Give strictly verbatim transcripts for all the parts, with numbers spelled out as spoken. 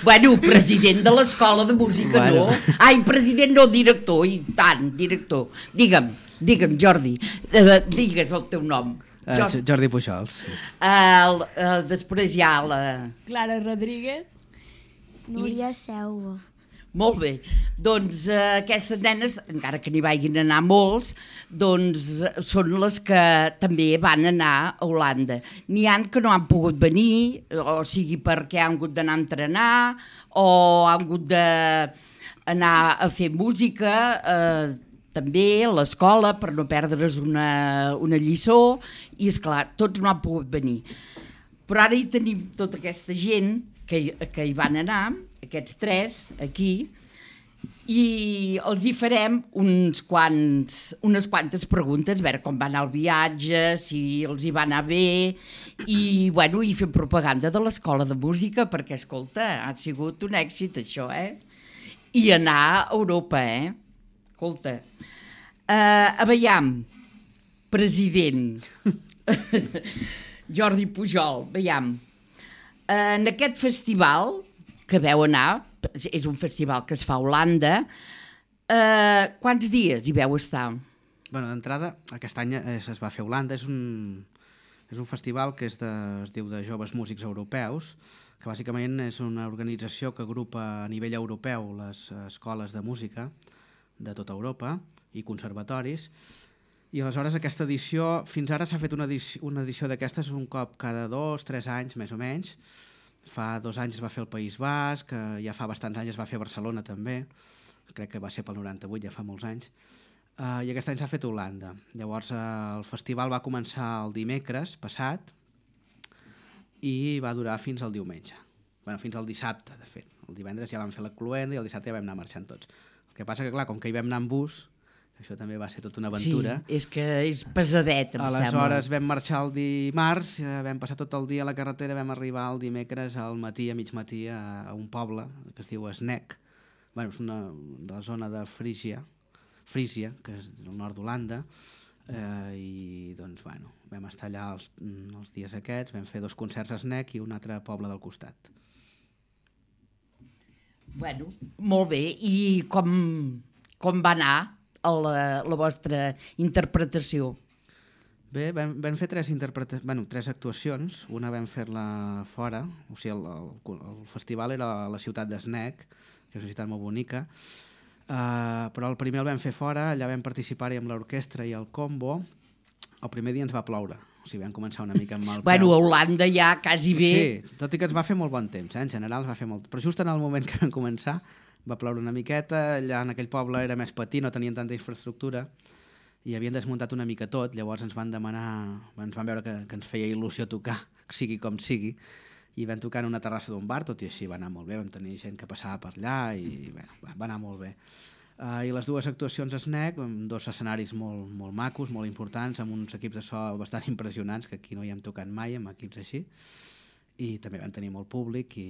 Bueno, president de l'escola de música, Bueno. no? Ai, president no, director, i tant, director. Digue'm, digue'm, Jordi, eh, digues el teu nom. Uh, Jordi. Jordi Pujols. Sí. El, el, després hi ha la... Clara Rodríguez. Núria Selva. Molt bé, doncs eh, aquestes nenes, encara que n'hi vagin anar molts, doncs eh, són les que també van anar a Holanda. N'hi han que no han pogut venir, o sigui perquè han hagut d'anar a entrenar, o han hagut d'anar a fer música, eh, també a l'escola, per no perdre's una, una lliçó, i esclar, tots no han pogut venir. Però ara hi tenim tota aquesta gent que, que hi van anar, aquests tres, aquí, i els hi farem uns quants, unes quantes preguntes, a veure com va anar el viatge, si els hi va anar bé, i, bueno, i fer propaganda de l'escola de música, perquè, escolta, ha sigut un èxit, això, eh? I anar a Europa, eh? Escolta, uh, a veiem, president, Jordi Pujol, veiem, en aquest festival que veu anar, és un festival que es fa a Holanda, eh, quants dies hi veu estar? Bueno, d'entrada, aquest any es, es va fer a Holanda, és un, és un festival que és de, es diu de Joves Músics Europeus, que bàsicament és una organització que agrupa a nivell europeu les escoles de música de tota Europa i conservatoris, i aleshores aquesta edició, fins ara s'ha fet una edició, una edició d'aquestes un cop cada dos, tres anys, més o menys. Fa dos anys es va fer al País Basc, ja fa bastants anys es va fer a Barcelona també, crec que va ser pel noranta-vuit, ja fa molts anys, uh, i aquest any s'ha fet a Holanda. Llavors uh, el festival va començar el dimecres passat i va durar fins al diumenge, bueno, fins al dissabte, de fet. El divendres ja vam fer la cluenda i el dissabte ja vam anar marxant tots. El que passa que, clar, com que hi vam anar en bus, això també va ser tota una aventura. Sí, és que és pesadet, em Aleshores sembla. vam marxar el dimarts, vam passar tot el dia a la carretera, vam arribar el dimecres al matí, a mig matí, a, a un poble que es diu Sneek. Bueno, és una de la zona de Frígia, Frísia, que és al nord d'Holanda, eh, i doncs, bueno, vam estar allà els, els dies aquests, vam fer dos concerts a Sneek i un altre poble del costat. Bueno, molt bé. I com, com va anar La, la vostra interpretació? Bé, vam, vam fer tres, interpreta... bueno, tres actuacions. Una vam fer-la fora, o sigui, el, el, el festival era a la ciutat de Sneek, que és una ciutat molt bonica, uh, però el primer el vam fer fora, allà vam participar-hi amb l'orquestra i el combo. El primer dia ens va ploure, o sigui, vam començar una mica amb mal peu. Bueno, a Holanda ja quasi bé. Sí, tot i que ens va fer molt bon temps, eh? En general es va fer molt... Però just en el moment que vam començar va ploure una miqueta, allà en aquell poble era més petit, no tenien tanta infraestructura i havien desmuntat una mica tot, llavors ens van demanar, ens van veure que, que ens feia il·lusió tocar, sigui com sigui, i vam tocar en una terrassa d'un bar, tot i així va anar molt bé, vam tenir gent que passava per allà i bueno, va anar molt bé. Uh, I les dues actuacions a Sneek, amb dos escenaris molt, molt macos, molt importants, amb uns equips de so bastant impressionants, que aquí no hi hem tocat mai, amb equips així, i també vam tenir molt públic i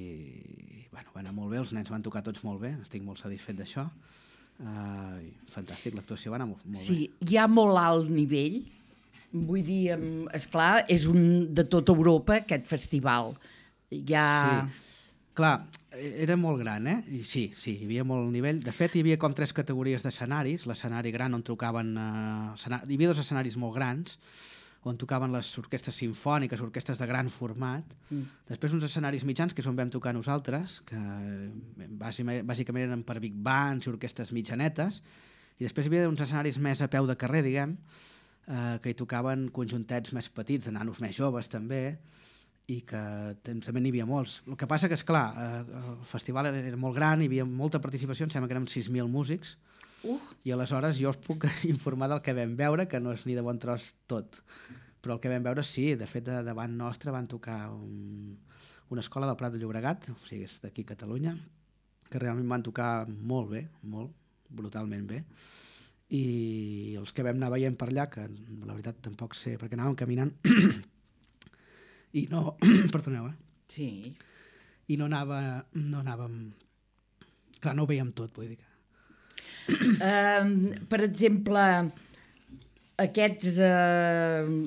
bueno, va anar molt bé, els nens van tocar tots molt bé, estic molt satisfet d'això, uh, fantàstic, l'actuació va anar molt, molt sí, bé. Sí, hi ha molt alt nivell, vull dir, esclar, és un de tota Europa aquest festival. Hi ha... Sí, clar, era molt gran, eh? I sí, sí, hi havia molt nivell. De fet, hi havia com tres categories d'escenaris, l'escenari gran on trucaven... Uh, escenari... Hi havia dos escenaris molt grans, on tocaven les orquestres simfòniques, orquestres de gran format. Mm. Després uns escenaris mitjans, que és on vam tocar nosaltres, que bàsicament eren per big bands i orquestres mitjanetes, i després hi havia uns escenaris més a peu de carrer, diguem, eh, que hi tocaven conjuntets més petits, de nanos més joves també, i que també n'hi havia molts. El que passa que, esclar, eh, el festival era molt gran, hi havia molta participació, em sembla que érem sis mil músics, Uh. i aleshores jo us puc informar del que vam veure, que no és ni de bon tros tot, però el que vam veure sí, de fet davant nostre van tocar un, una escola del Prat de Llobregat, o sigui és d'aquí a Catalunya, que realment van tocar molt bé, molt, brutalment bé, i els que vam anar veient per allà, que la veritat tampoc sé, perquè anàvem caminant i no, perdoneu, eh? Sí. I no anava, no anàvem, clar, no ho veiem tot, vull dir que Uh, per exemple, aquests... Uh,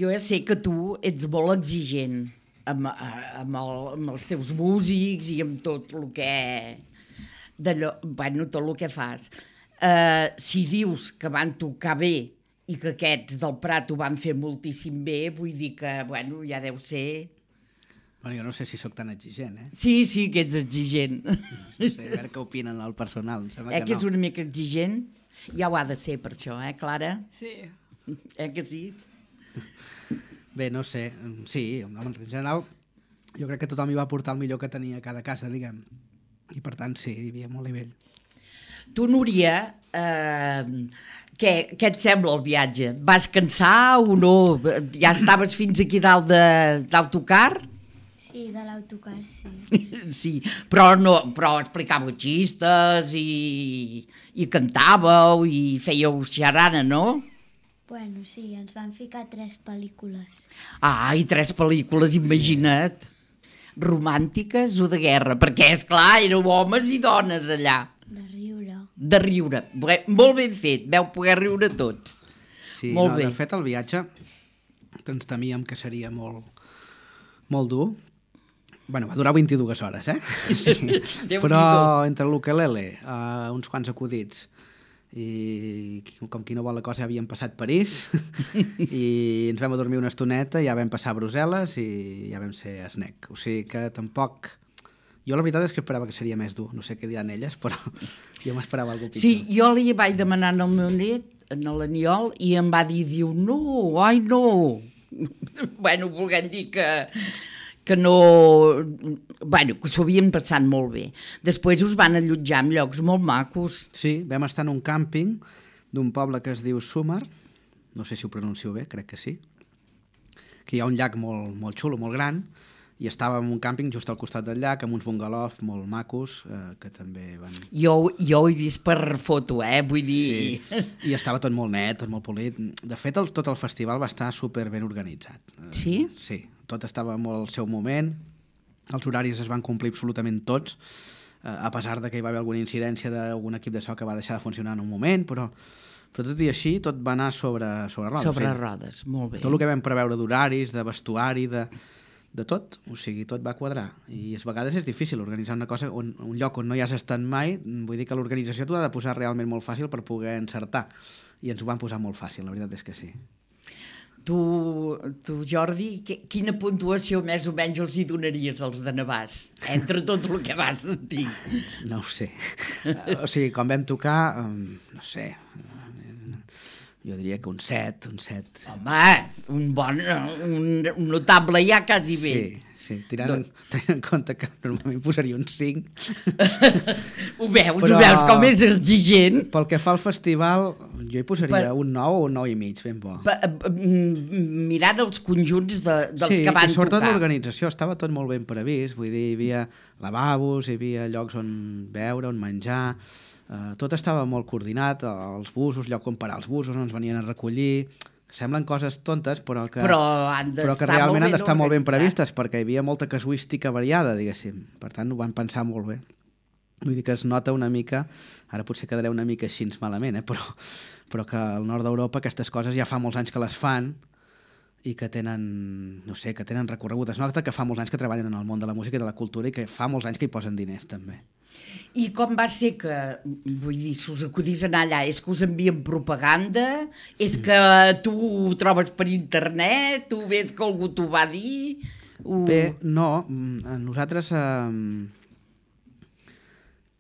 jo ja sé que tu ets molt exigent amb, amb, el, amb els teus músics i amb tot el que... D'allò, bueno, tot el que fas. Uh, si dius que van tocar bé i que aquests del Prat ho van fer moltíssim bé, vull dir que, bueno, ja deu ser... Bueno, jo no sé si sóc tan exigent, eh? Sí, sí, que ets exigent. No sé, a veure què opinen el personal. Em sembla Eh, que que és no. una mica exigent? Ja ho ha de ser per això, eh, Clara? Sí. Eh que sí? Bé, no sé, sí, home, en general jo crec que tothom hi va portar el millor que tenia a cada casa, diguem. I per tant, sí, hi havia molt nivell. Tu, Núria, eh, què, què et sembla el viatge? Vas cansar o no? Ja estaves fins aquí dalt de- d'autocar? Sí, de l'autocar, sí. Sí, però, no, però explicàveu xistes i, i cantàveu i fèieu xarana, no? Bueno, sí, ens van ficar tres pel·lícules. Ah, i tres pel·lícules, imagina't. Romàntiques o de guerra? Perquè, és clar, éreu homes i dones allà. De riure. De riure. Bé, molt ben fet, veu poder riure tots. Sí, Molt no, bé. de fet el viatge ens temíem que seria molt, molt dur. Bueno, va durar vint-i-dues hores, eh? Sí. Déu-n'hi-do. Però entre l'ukelele, uh, uns quants acudits, i com qui no vol la cosa ja havíem passat París i ens vam adormir una estoneta, ja vam passar a Brussel·les i ja vam ser a Snec. O sigui que tampoc... Jo la veritat és que esperava que seria més dur. No sé què diran elles, però jo m'esperava alguna cosa pitjor. Sí, jo li vaig demanar al meu net, en l'Aniol, i em va dir, diu, no, ai no. Bueno, volguem dir que, que no... Bueno, que s'ho havien passat molt bé. Després us van allotjar en llocs molt macos. Sí, vam estar en un càmping d'un poble que es diu Súmer, no sé si ho pronuncio bé, crec que sí, que hi ha un llac molt, molt xulo, molt gran, i estàvem en un càmping just al costat del llac, amb uns bungalows molt macos, eh, que també van... Jo, jo ho he vist per foto, eh? Vull dir... Sí. I estava tot molt net, tot molt polit. De fet, el, tot el festival va estar super ben organitzat. Eh, Sí? Sí, tot estava molt al seu moment, els horaris es van complir absolutament tots, eh, a pesar de que hi va haver alguna incidència d'algun equip de so que va deixar de funcionar en un moment, però, però tot i així, tot va anar sobre, sobre rodes. Sobre o sigui, rodes, molt bé. tot el que vam preveure d'horaris, de vestuari, de, de tot, o sigui, tot va quadrar. I a vegades és difícil organitzar una cosa, on, un lloc on no hi has estat mai, vull dir que l'organització t'ho ha de posar realment molt fàcil per poder encertar. I ens ho van posar molt fàcil, la veritat és que sí. Tu, tu Jordi, que, quina puntuació més o menys els hi donaries als de Navàs? Entre tot el que vas sentir. No ho sé. O sigui, quan vam tocar, um, no sé, jo diria que un set, un set. Home, un bon, un, un notable ja quasi bé. Sí, sí, tirant, en, tenint en compte que normalment posaria un cinc. Ho veus, Però- ho veus, com és exigent. Pel que fa al festival, jo hi posaria Per- un nou o un nou i mig, ben bo. Pa- mm, Mirant els conjunts de, dels sí, que van i sobretot tocar. l'organització estava tot molt ben previst, vull dir, hi havia lavabos, hi havia llocs on beure, on menjar, eh, tot estava molt coordinat, els busos, lloc on parar els busos, on ens venien a recollir, semblen coses tontes, però que, Però han però que d'estar realment molt han ben d'estar molt ben organitzats. previstes, perquè hi havia molta casuística variada, diguéssim, per tant ho van pensar molt bé. Vull dir que es nota una mica, ara potser quedaré una mica així malament, eh? però, però que al nord d'Europa aquestes coses ja fa molts anys que les fan i que tenen, no sé, que tenen recorregut. Es nota que fa molts anys que treballen en el món de la música i de la cultura i que fa molts anys que hi posen diners també. I com va ser que, vull dir, si us acudís a anar allà, és que us envien propaganda, és que tu ho trobes per internet, tu ves que algú t'ho va dir... O... Bé, no, mm, nosaltres eh,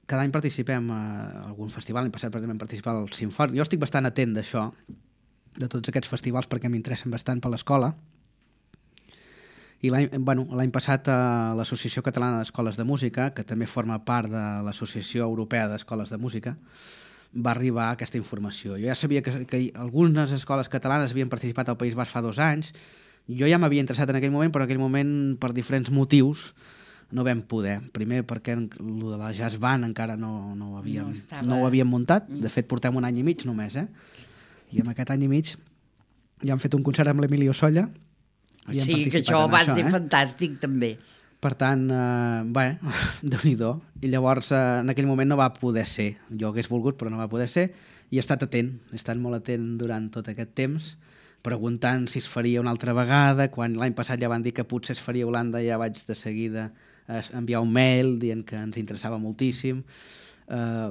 cada any participem a algun festival, l'any passat per exemple vam participar al Sinfònic. Jo estic bastant atent d'això, de tots aquests festivals, perquè m'interessen bastant per l'escola. I l'any bueno, l'any passat eh, l'Associació Catalana d'Escoles de Música, que també forma part de l'Associació Europea d'Escoles de Música, va arribar aquesta informació. Jo ja sabia que, que algunes escoles catalanes havien participat al País Basc fa dos anys. Jo ja m'havia interessat en aquell moment, però en aquell moment, per diferents motius, no vam poder. Primer perquè el de la Jazz Band encara no, no, ho havíem, No estava- no ho havíem muntat. De fet, portem un any i mig només, eh? I en aquest any i mig ja hem fet un concert amb l'Emilio Solla. I hem Sí, que participat això en va això, ser eh? fantàstic, també. Per tant, eh, bé, Déu-n'hi-do. I llavors, eh, en aquell moment no va poder ser. Jo hagués volgut, però no va poder ser. I he estat atent, he estat molt atent durant tot aquest temps preguntant si es faria una altra vegada. Quan l'any passat ja van dir que potser es faria a Holanda, ja vaig de seguida enviar un mail dient que ens interessava moltíssim. Uh,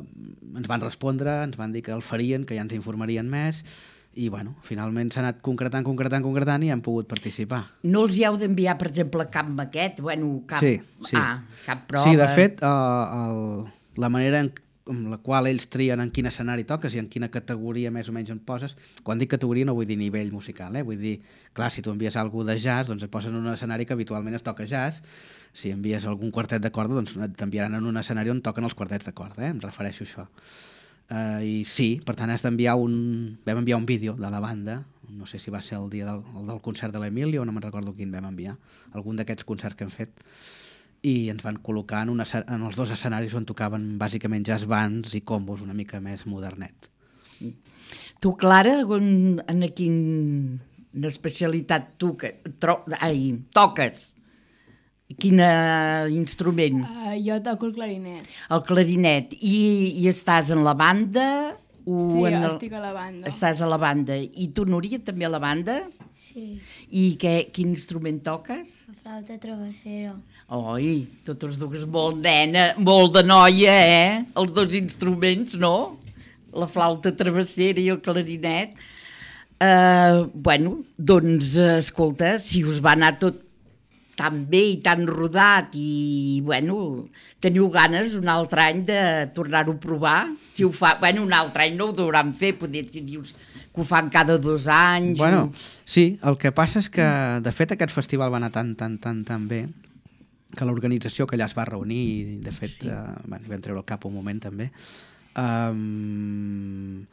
ens van respondre, ens van dir que el farien, que ja ens informarien més, i bueno, finalment s'ha anat concretant, concretant, concretant i hem pogut participar. No els hi heu d'enviar, per exemple, cap maquet? Bueno, cap... Sí, sí. Ah, cap prova? Sí, de fet, uh, el, la manera en amb la qual ells trien en quin escenari toques i en quina categoria més o menys en poses. Quan dic categoria no vull dir nivell musical, eh? Vull dir, clar, si tu envies alguna de jazz, doncs et posen en un escenari que habitualment es toca jazz. Si envies algun quartet de corda, doncs t'enviaran en un escenari on toquen els quartets de corda, eh? Em refereixo a això. Uh, I sí, per tant has d'enviar un... Vam enviar un vídeo de la banda, no sé si va ser el dia del, el del concert de l'Emilio, no me'n recordo quin vam enviar, algun d'aquests concerts que hem fet, i ens van col·locar en, una, en els dos escenaris on tocaven bàsicament jazz bands i combos una mica més modernet. Tu, Clara, en, en quina especialitat tu que, tro, ai, toques? Quin instrument? Uh, jo toco el clarinet. El clarinet. I, i estàs en la banda? O Sí, en el... estic a la banda. Estàs a la banda. I tu, Núria, també a la banda? Sí, I què, quin instrument toques? la flauta travessera. Oi, totes dues molt nena, molt de noia, eh? Els dos instruments, no? La flauta travessera i el clarinet. Uh, bueno, doncs, escolta, si us va anar tot tan bé i tan rodat i, bueno, teniu ganes un altre any de tornar-ho a provar? Si ho fa... Bueno, un altre any no ho deuran fer, poder si dius que ho fan cada dos anys... Bueno, o... sí, el que passa és que, de fet, aquest festival va anar tan, tan, tan, tan bé que l'organització que allà es va reunir i, de fet, sí. uh, bueno, vam treure el cap un moment, també, um,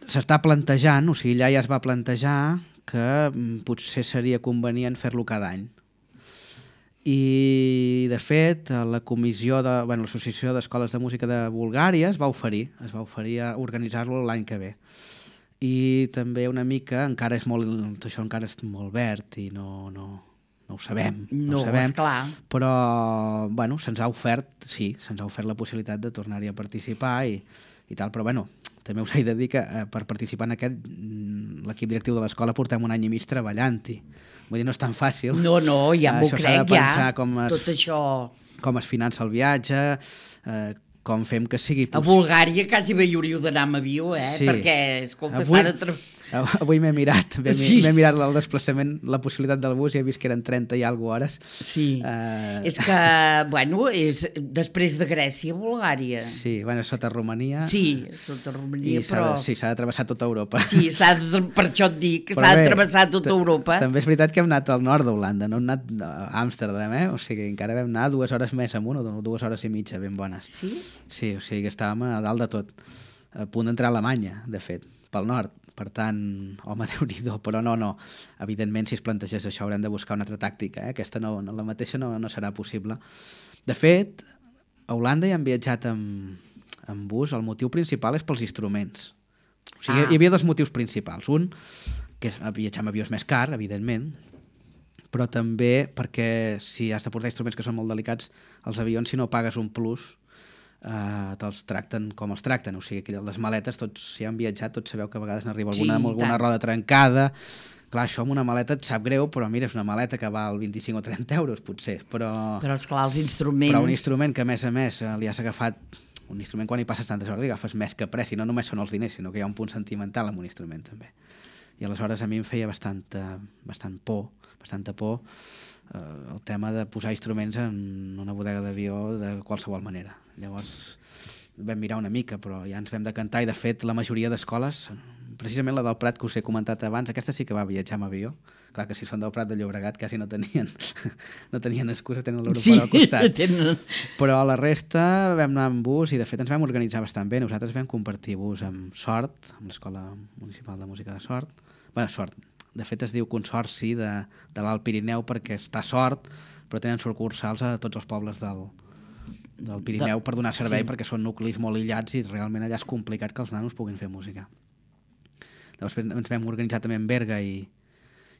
s'està plantejant, o sigui, allà ja es va plantejar que um, potser seria convenient fer-lo cada any. I, de fet, la comissió de, bueno, l'Associació d'Escoles de Música de Bulgària es va oferir, es va oferir a organitzar-lo l'any que ve. I també una mica, encara és molt, això encara és molt verd i no, no, no ho sabem. No, no ho sabem, esclar. Però, bueno, se'ns ha ofert, sí, se'ns ha ofert la possibilitat de tornar-hi a participar i, i tal, però, bueno, també us he de dir que eh, per participar en aquest, l'equip directiu de l'escola portem un any i mig treballant-hi. Vull dir, no és tan fàcil. No, no, ja m'ho crec, ja. Això s'ha de pensar com es, tot això... com es finança el viatge, eh, com fem que sigui... A Bulgària quasi bé hi hauríeu d'anar amb avió, eh? Sí. Perquè, escolta, Avui... s'ha de... Tra... Avui m'he mirat, m'he Sí. mirat el desplaçament, la possibilitat del bus i he vist que eren trenta i alguna hores. Sí, Uh, és que, bueno, és després de Grècia, Bulgària. Sí, bueno, sota Romania. Sí, sota Romania, I s'ha però... de, sí, s'ha de travessar tota Europa. Sí, s'ha de, per això et dic, que Però s'ha de bé, travessar tota t- Europa. També és veritat que hem anat al nord d'Holanda, no hem anat a Amsterdam, eh? O sigui, encara vam anar dues hores més amunt, o dues hores i mitja, ben bones. Sí? Sí, o sigui que estàvem a dalt de tot, a punt d'entrar a Alemanya, de fet, pel nord. Per tant, home, Déu-n'hi-do, però no, no. Evidentment, si es plantegés això, haurem de buscar una altra tàctica. Eh? Aquesta no, no, la mateixa no, no serà possible. De fet, a Holanda hi han viatjat amb, amb bus. El motiu principal és pels instruments. O sigui, ah. hi havia dos motius principals. Un, que és viatjar amb avió és més car, evidentment, però també perquè si has de portar instruments que són molt delicats, els avions, si no pagues un plus, Uh, te'ls tracten com els tracten, o sigui que les maletes, tots si han viatjat tots sabeu que a vegades n'arriba alguna Sí, amb alguna tant. roda trencada. Clar, això amb una maleta et sap greu, però mira, és una maleta que val vint-i-cinc o trenta euros potser, però, Però, esclar, els instruments... però un instrument que a més a més eh, li has agafat, un instrument quan hi passes tantes hores li agafes més que pressa, i no només són els diners, sinó que hi ha un punt sentimental amb un instrument també. I aleshores a mi em feia bastanta, bastant por, bastanta por eh, el tema de posar instruments en una bodega d'avió de qualsevol manera. Llavors vam mirar una mica, però ja ens vam decantar, i de fet la majoria d'escoles, precisament la del Prat que us he comentat abans, aquesta sí que va viatjar amb avió. Clar que si són del Prat de Llobregat quasi no tenien no tenien excusa, tenen l'aeroport Sí, al costat. tenen... Però la resta vam anar amb bus i de fet ens vam organitzar bastant bé. Nosaltres vam compartir bus amb Sort, amb l'Escola Municipal de Música de Sort. Bé, Sort, de fet es diu Consorci de, de l'Alt Pirineu perquè està a Sort, però tenen sucursals a tots els pobles del, del Pirineu per donar servei, sí. Perquè són nuclis molt aïllats i realment allà és complicat que els nanos puguin fer música. Llavors ens vam organitzar també en Berga i,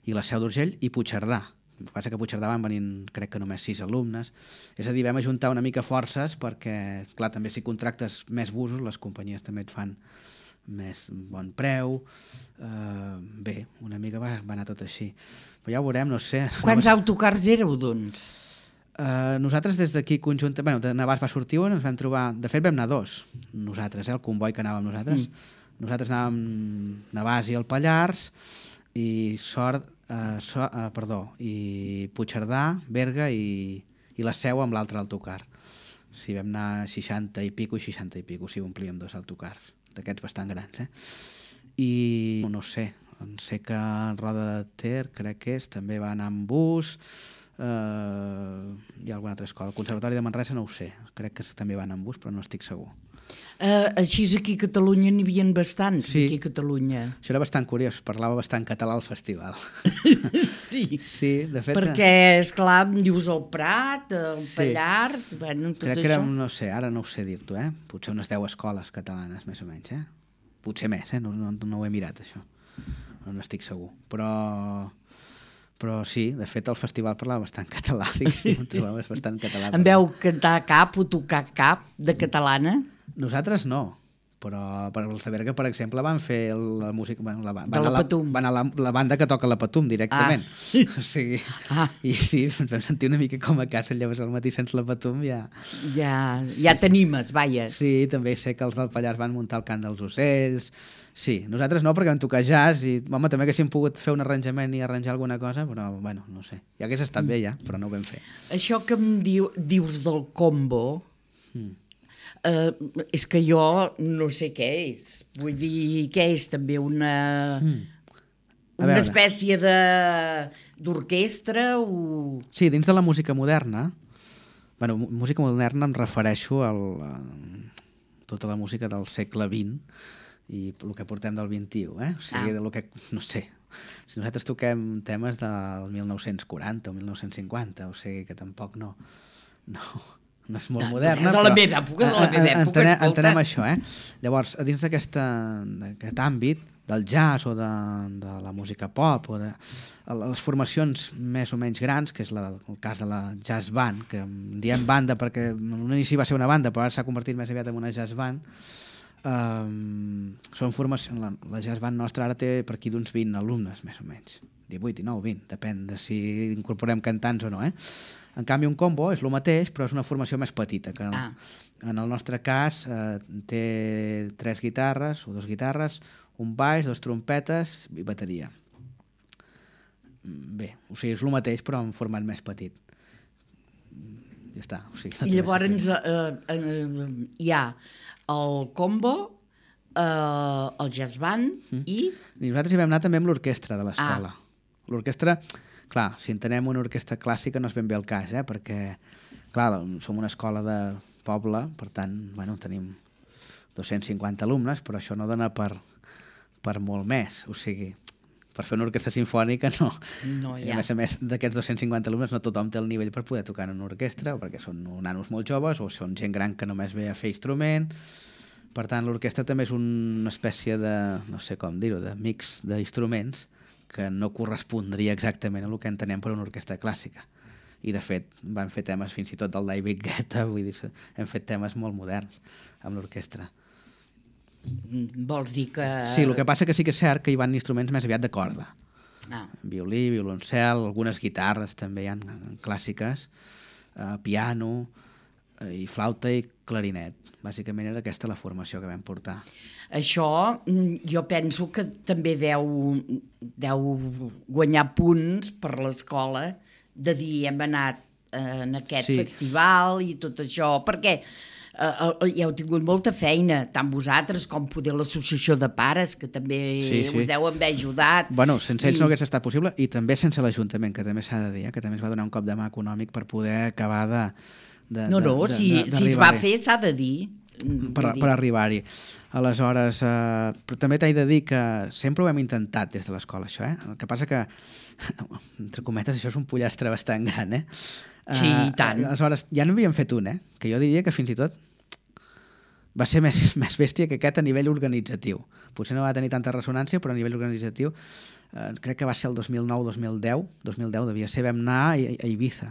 i la Seu d'Urgell i Puigcerdà. El que passa que a Puigcerdà van venir, crec que només sis alumnes. És a dir, vam ajuntar una mica forces perquè, clar, també si contractes més busos, les companyies també et fan més bon preu. Uh, bé, una mica va, va anar tot així. Però ja ho veurem, no sé. Quants autocars éreu, doncs? Uh, nosaltres des d'aquí conjuntament, bueno, de Navàs va sortir un, ens vam trobar, de fet vam anar dos, nosaltres, eh, el comboi que anàvem nosaltres. Mm. Nosaltres anàvem Navàs i el Pallars, i Sort, uh, so, uh, perdó, i Puigcerdà, Berga i, i la Seu amb l'altre autocar. Sí, vam anar seixanta i pico i seixanta i pico, sí, omplíem dos autocars, d'aquests bastant grans, eh? I no sé, sé que Roda de Ter, crec que és, també va anar amb bus. Uh, hi ha alguna altra escola. El Conservatori de Manresa no ho sé, crec que també van amb bus, però no estic segur. Uh, així aquí a Catalunya n'hi havia bastants, sí. Aquí a Catalunya. Això era bastant curiós, parlava bastant català al festival. Sí, sí, de fet... Perquè, esclar, em dius el Prat, el sí. Pallars, bueno, tot crec això. Que érem, no sé, ara no ho sé dir-t'ho, eh? Potser unes deu escoles catalanes, més o menys, eh? Potser més, eh? No, no, no ho he mirat, això. No n'estic segur. Però... Però sí, de fet el festival parlava bastant català, diguéssim, trobava bastant català. En veu cantar cap o tocar cap de catalana? Nosaltres no, però per els de Berga, per exemple, van fer la música... Bueno, la, van de la Patum. Van a la, la banda que toca la Patum, directament. Ah. O sigui, ah. I sí, ens vam sentir una mica com a casa, llavors al matí sense la Patum ja... Ja, ja t'animes, vaja. Sí, també sé que els del Pallars van muntar el cant dels ocells... Sí, nosaltres no, perquè vam tocar jazz i, home, també haguéssim pogut fer un arranjament i arranjar alguna cosa, però, bueno, no sé. Ja hagués estat bé, ja, però no ho vam fer. Això que em diu, dius del combo, mm. eh, és que jo no sé què és. Vull dir, què és també una... Mm. Una espècie de d'orquestra o... Sí, dins de la música moderna, bueno, música moderna em refereixo a tota la música del segle vint, i el que portem del vint-i-u, eh? O sigui, ah. del que, no sé, si nosaltres toquem temes del mil nou-cents quaranta o mil nou-cents cinquanta, o sigui que tampoc no, no, no és molt de, moderna. De la però, meva època, de la meva època, entenem, escolta. Entenem això, eh? Llavors, dins d'aquest àmbit del jazz o de, de la música pop o de les formacions més o menys grans, que és la, el cas de la jazz band, que diem banda perquè en un inici va ser una banda, però ara s'ha convertit més aviat en una jazz band. Um, són formacions, la, la jazz band nostra ara té per aquí d'uns vint alumnes més o menys, divuit, dinou, vint, depèn de si incorporem cantants o no, eh? En canvi un combo és el mateix però és una formació més petita que en, ah. en el nostre cas eh, té tres guitarres o dos guitarres, un baix, dos trompetes i bateria. Bé, o sigui, és el mateix però en format més petit. Ja està. O sigui, no I llavors eh, eh, hi ha el combo, eh, el jazz band mm. i... I nosaltres hi vam anar també amb l'orquestra de l'escola. Ah. L'orquestra, clar, si entenem una orquestra clàssica no és ben bé el cas, eh? Perquè, clar, som una escola de poble, per tant, bueno, tenim dos-cents cinquanta alumnes, però això no dona per, per molt més, o sigui... Per fer una orquestra sinfònica no. no I a més a més d'aquests dos-cents cinquanta alumnes no tothom té el nivell per poder tocar en una orquestra, o perquè són nanos molt joves o són gent gran que només ve a fer instrument. Per tant, l'orquestra també és una espècie de, no sé com dir-ho, de mix d'instruments que no correspondria exactament a el que entenem per una orquestra clàssica. I de fet van fer temes fins i tot del David Guetta, vull dir, hem fet temes molt moderns amb l'orquestra. Vols dir que... Sí, el que passa que sí que és cert que hi van instruments més aviat de corda. Ah. Violí, violoncel, algunes guitarres també hi ha clàssiques, eh, piano, eh, i flauta i clarinet. Bàsicament era aquesta la formació que vam portar. Això jo penso que també deu, deu guanyar punts per l'escola de dir hem anat en aquest sí. festival i tot això, perquè... Uh, uh, ja heu tingut molta feina, tant vosaltres com poder l'associació de pares, que també sí, sí. us deuen haver ajudat. Bueno, sense ells I... no hagués estat possible, i també sense l'Ajuntament, que també s'ha de dir, eh? Que també es va donar un cop de mà econòmic per poder acabar de... de no, no, de, si, de, de si es va fer s'ha de dir. Per, per arribar-hi. Aleshores, eh, però també t'he de dir que sempre ho hem intentat des de l'escola, això, eh? El que passa que, entre cometes, això és un pollastre bastant gran, eh? Sí, i tant. Uh, aleshores, ja n'havíem fet un, eh? Que jo diria que fins i tot va ser més, més bèstia que aquest a nivell organitzatiu. Potser no va tenir tanta ressonància, però a nivell organitzatiu eh, crec que va ser el dos mil nou dos mil deu, dos mil deu devia ser, vam anar a, a Ibiza,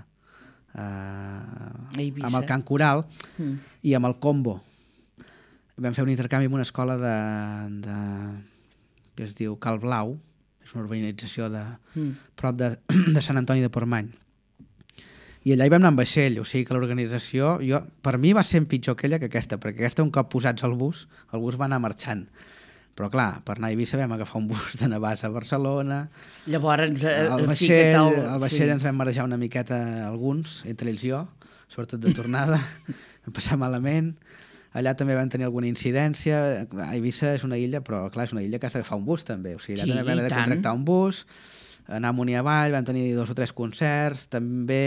eh, a Ibiza, amb el cant coral mm. i amb el combo. vam fer un intercanvi amb una escola de, de, que es diu Cal Blau, és una urbanització de, mm. prop de, de Sant Antoni de Portmany. I allà hi vam anar amb vaixell, o sigui que l'organització, jo, per mi va ser pitjor aquella que aquesta, perquè aquesta un cop posats al bus, el bus va anar marxant. Però clar, per anar a Eivissa vam agafar un bus de Navàs a Barcelona. Llavors, eh, el vaixell, el, el vaixell sí. ens vam marejar una miqueta alguns, entre ells jo, sobretot de tornada, vam passar malament. Allà també vam tenir alguna incidència. Clar, Eivissa és una illa, però clar, és una illa que has d'agafar un bus també. O sigui, allà sí, també vam haver de contractar un bus, anar amunt i avall, vam tenir dos o tres concerts, també...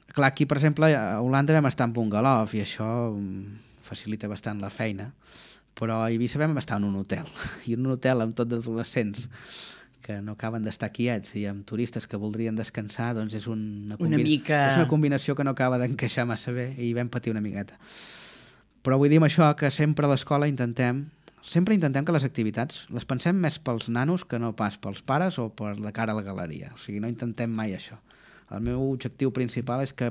Clar, aquí, per exemple, a Holanda vam estar en Bungalov i això facilita bastant la feina, però a Eivissa vam estar en un hotel, i en un hotel amb tot d'adolescents que no acaben d'estar quiets i amb turistes que voldrien descansar, doncs és una, una, mica... és una combinació que no acaba d'encaixar massa bé i vam patir una miqueta. Però vull dir amb això que sempre a l'escola intentem sempre intentem que les activitats les pensem més pels nanos que no pas pels pares o per la cara a la galeria. O sigui, no intentem mai això. El meu objectiu principal és que...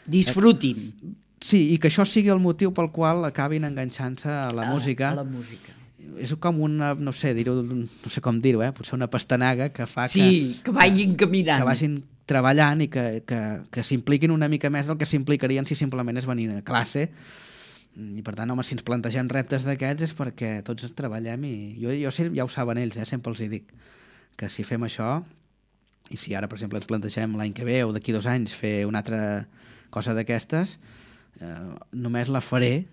Disfrutin. Sí, i que això sigui el motiu pel qual acabin enganxant-se a la a, música. A la música. És com una, no sé, dir-ho, no sé com dir-ho, eh? Potser una pastanaga que fa sí, que... Sí, que vagin caminant. Que vagin treballant i que, que, que s'impliquin una mica més del que s'implicarien si simplement és venir a classe. I per tant, home, si ens plantegem reptes d'aquests és perquè tots ens treballem i jo, jo sé, ja ho saben ells, eh? Sempre els hi dic que si fem això, i si ara, per exemple, ens plantegem l'any que ve o d'aquí dos anys fer una altra cosa d'aquestes, eh, només la faré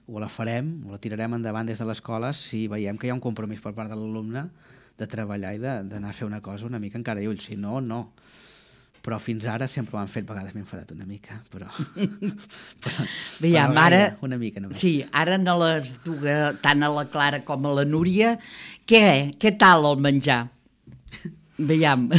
o la farem o la tirarem endavant des de l'escola si veiem que hi ha un compromís per part de l'alumne de treballar i d'anar a fer una cosa una mica encara i ulls. Si no, no. Però fins ara sempre ho han fet, a vegades m'he enfadat una mica, però... però Veiem, però ara... Una mica només. Sí, ara no les duga tant a la Clara com a la Núria. Què? Què tal el menjar? Veiem.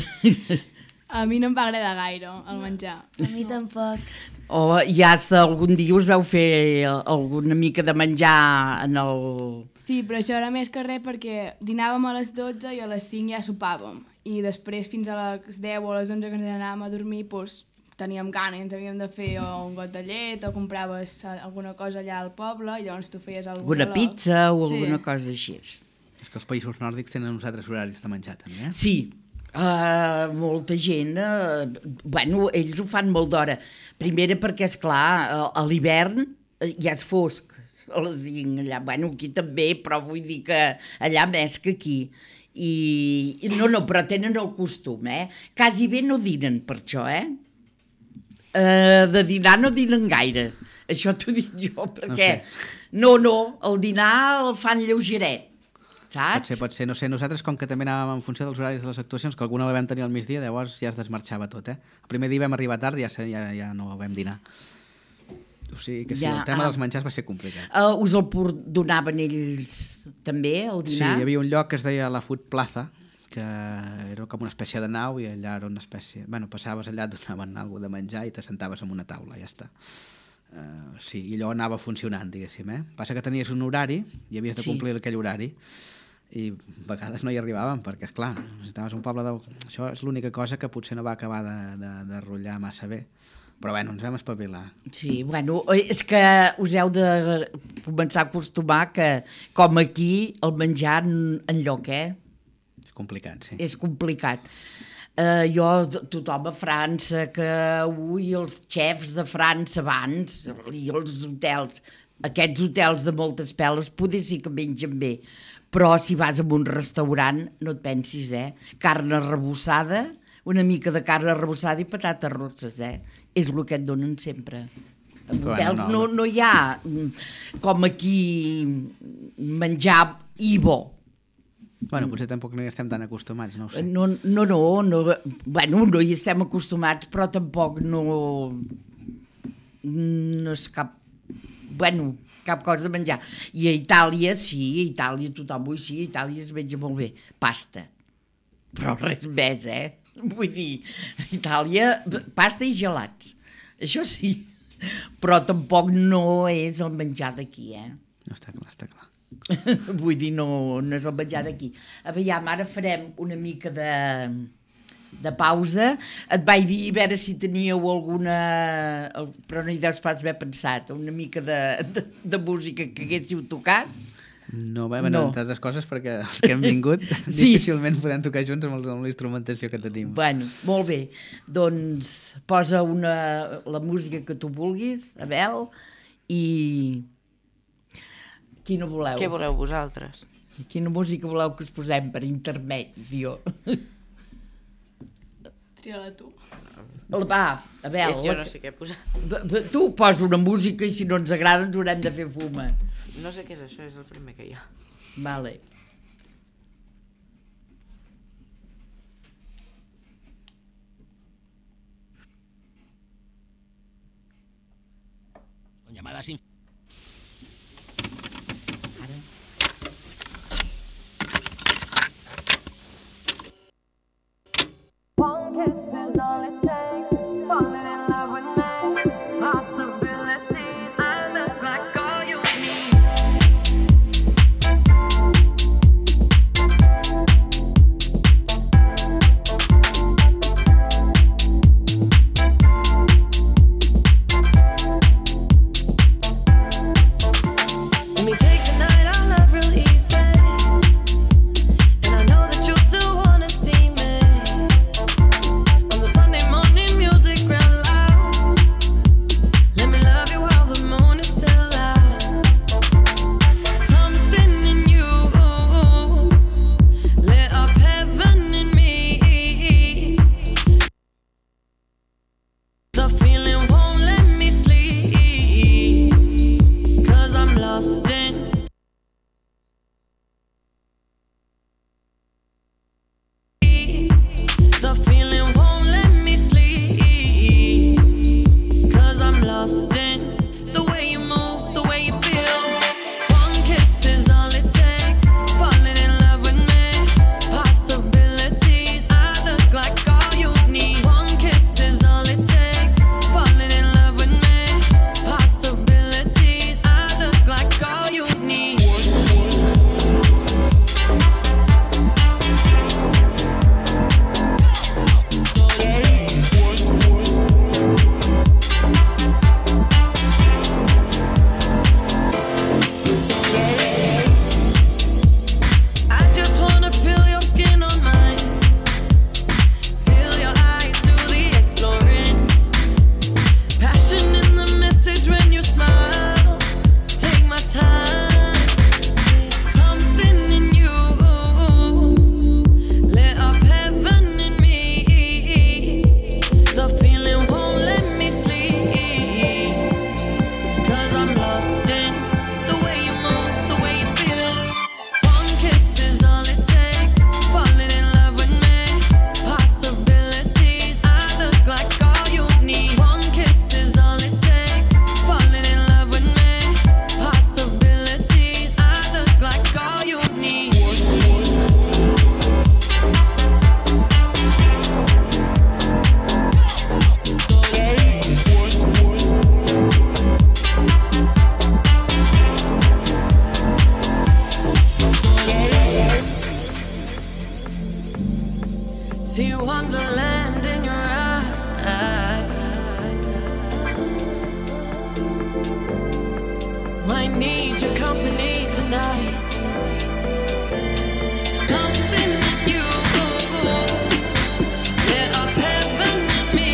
A mi no em va agradar gaire el menjar. A mi tampoc. O ja hasta algun dia us vau fer alguna mica de menjar en el... Sí, però això era més que res perquè dinàvem a les dotze i a les cinc ja sopàvem. I després fins a les deu o a les onze que ens anàvem a dormir doncs, teníem gana i ens havíem de fer o un got de llet o compraves alguna cosa allà al poble i llavors tu feies alguna... Alguna pizza o sí. alguna cosa així. És que els països nòrdics tenen uns altres horaris de menjar també, eh? Sí. Uh, molta gent, uh, bueno, ells ho fan molt d'hora. Primera perquè, esclar, uh, a l'hivern uh, ja és fosc, a les cinc allà. Bueno, aquí també, però vull dir que allà més que aquí. I, i no, no, però tenen el costum, eh? Quasi bé no dinen per això, eh? Uh, de dinar no dinen gaire. Això t'ho dic jo, perquè... No, no, el dinar el fan lleugeret. Saps? Pot ser, pot ser. No sé, nosaltres com que també anàvem en funció dels horaris de les actuacions, que alguna la vam tenir al migdia, llavors ja es desmarxava tot, eh? El primer dia vam arribar tard i ja, ja, ja no vam dinar. O sigui que sí, ja, el tema ah, dels menjars va ser complicat. Uh, us el donaven ells també, el dinar? Sí, hi havia un lloc que es deia la Food Plaza, que era com una espècie de nau i allà era una espècie... Bueno, passaves allà, et donaven alguna de menjar i t'assentaves en una taula, ja està. Uh, sí, i allò anava funcionant, diguéssim, eh? Passa que tenies un horari i havies de complir sí. aquell horari. I a vegades no hi arribàvem perquè, esclar, estaves a un poble de... Això és l'única cosa que potser no va acabar de, de, de rotllar massa bé. Però bueno, ens vam espavilar. Sí, bueno, és que us heu de començar a acostumar que, com aquí, el menjar enlloc, eh? És complicat, sí. És complicat. Uh, jo, tothom a França, que ui, els xefs de França abans, i els hotels, aquests hotels de moltes peles, poder sí que mengen bé. Però si vas a un restaurant, no et pensis, eh? Carn arrebossada, una mica de carn arrebossada i patates rosses, eh? És el que et donen sempre. En hotels bueno, no, no, no hi ha, com aquí, menjar i bo. Bueno, potser tampoc no hi estem tan acostumats, no ho sé. No, no, no, no, bueno, no hi estem acostumats, però tampoc no... No és cap... Bueno... cap cosa de menjar. I a Itàlia, sí, a Itàlia tothom vull sí, a Itàlia es menja molt bé. Pasta. Però res més, eh? Vull dir, a Itàlia, pasta i gelats. Això sí. Però tampoc no és el menjar d'aquí, eh? No, està clar, està clar. Vull dir, no, no és el menjar d'aquí. Aviam, ara farem una mica de... de pausa. Et vaig dir a veure si teníeu alguna... Però no hi deus pas haver pensat, una mica de, de, de música que haguéssiu tocat. No, bé, bueno, No. entre altres coses, perquè els que hem vingut Sí. difícilment podem tocar junts amb, els, amb la instrumentació que tenim. Bueno, molt bé. Doncs posa una, la música que tu vulguis, Abel, i... Quina voleu? Què voleu vosaltres? Quina música voleu que us posem per intermedi, jo? Tria-la tu. Va, Abel. És, jo la no que- sé què posar. B- b- Tu posa una música i si no ens agrada ens haurem de fer fuma. No sé què és això, és el primer que hi ha. Vale. Llamadas sin... One kiss is all it takes. Falling in love with me. Possibilities. I look like all you need. Let me take the night out love real easy. And I know that you still wanna see me. On the Sunday morning music real loud. Let me love you while the moon is still out. Something in you lit up heaven in me. The feeling won't let me sleep. Cause I'm lost in The feeling won't let me sleep. Cause I'm lost in the way you move, the way you feel. One kiss is all it takes. Falling in love with me. Possibilities. I look like all you need. One kiss is all it takes. Falling in love with me. Possibilities. I look like all you need. I just wanna feel your skin on mine. Feel your eyes do the exploring. Passion in the message when you smile. Take my time. Something in you lit up heaven in me. The feeling won't let me sleep. Cause I'm lost in the way you move, the way you feel. One kiss is all it takes. Falling in love with me. Possibilities. I look like all you need. One kiss is all it takes. Falling in love with me. Possibilities. I look like all you need. See wonderland in your eyes. Might need your company tonight. Something in you lit up heaven in me.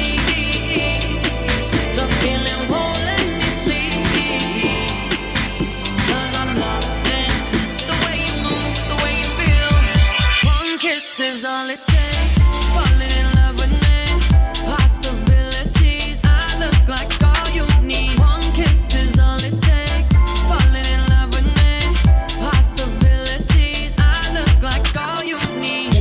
The feeling won't let me sleep. Cause I'm lost in the way you move, the way you feel. One kiss is all it takes. Falling in love with me. Possibilities. I look like all you need. One kiss is all it takes. Falling in love with me. Possibilities. I look like all you need.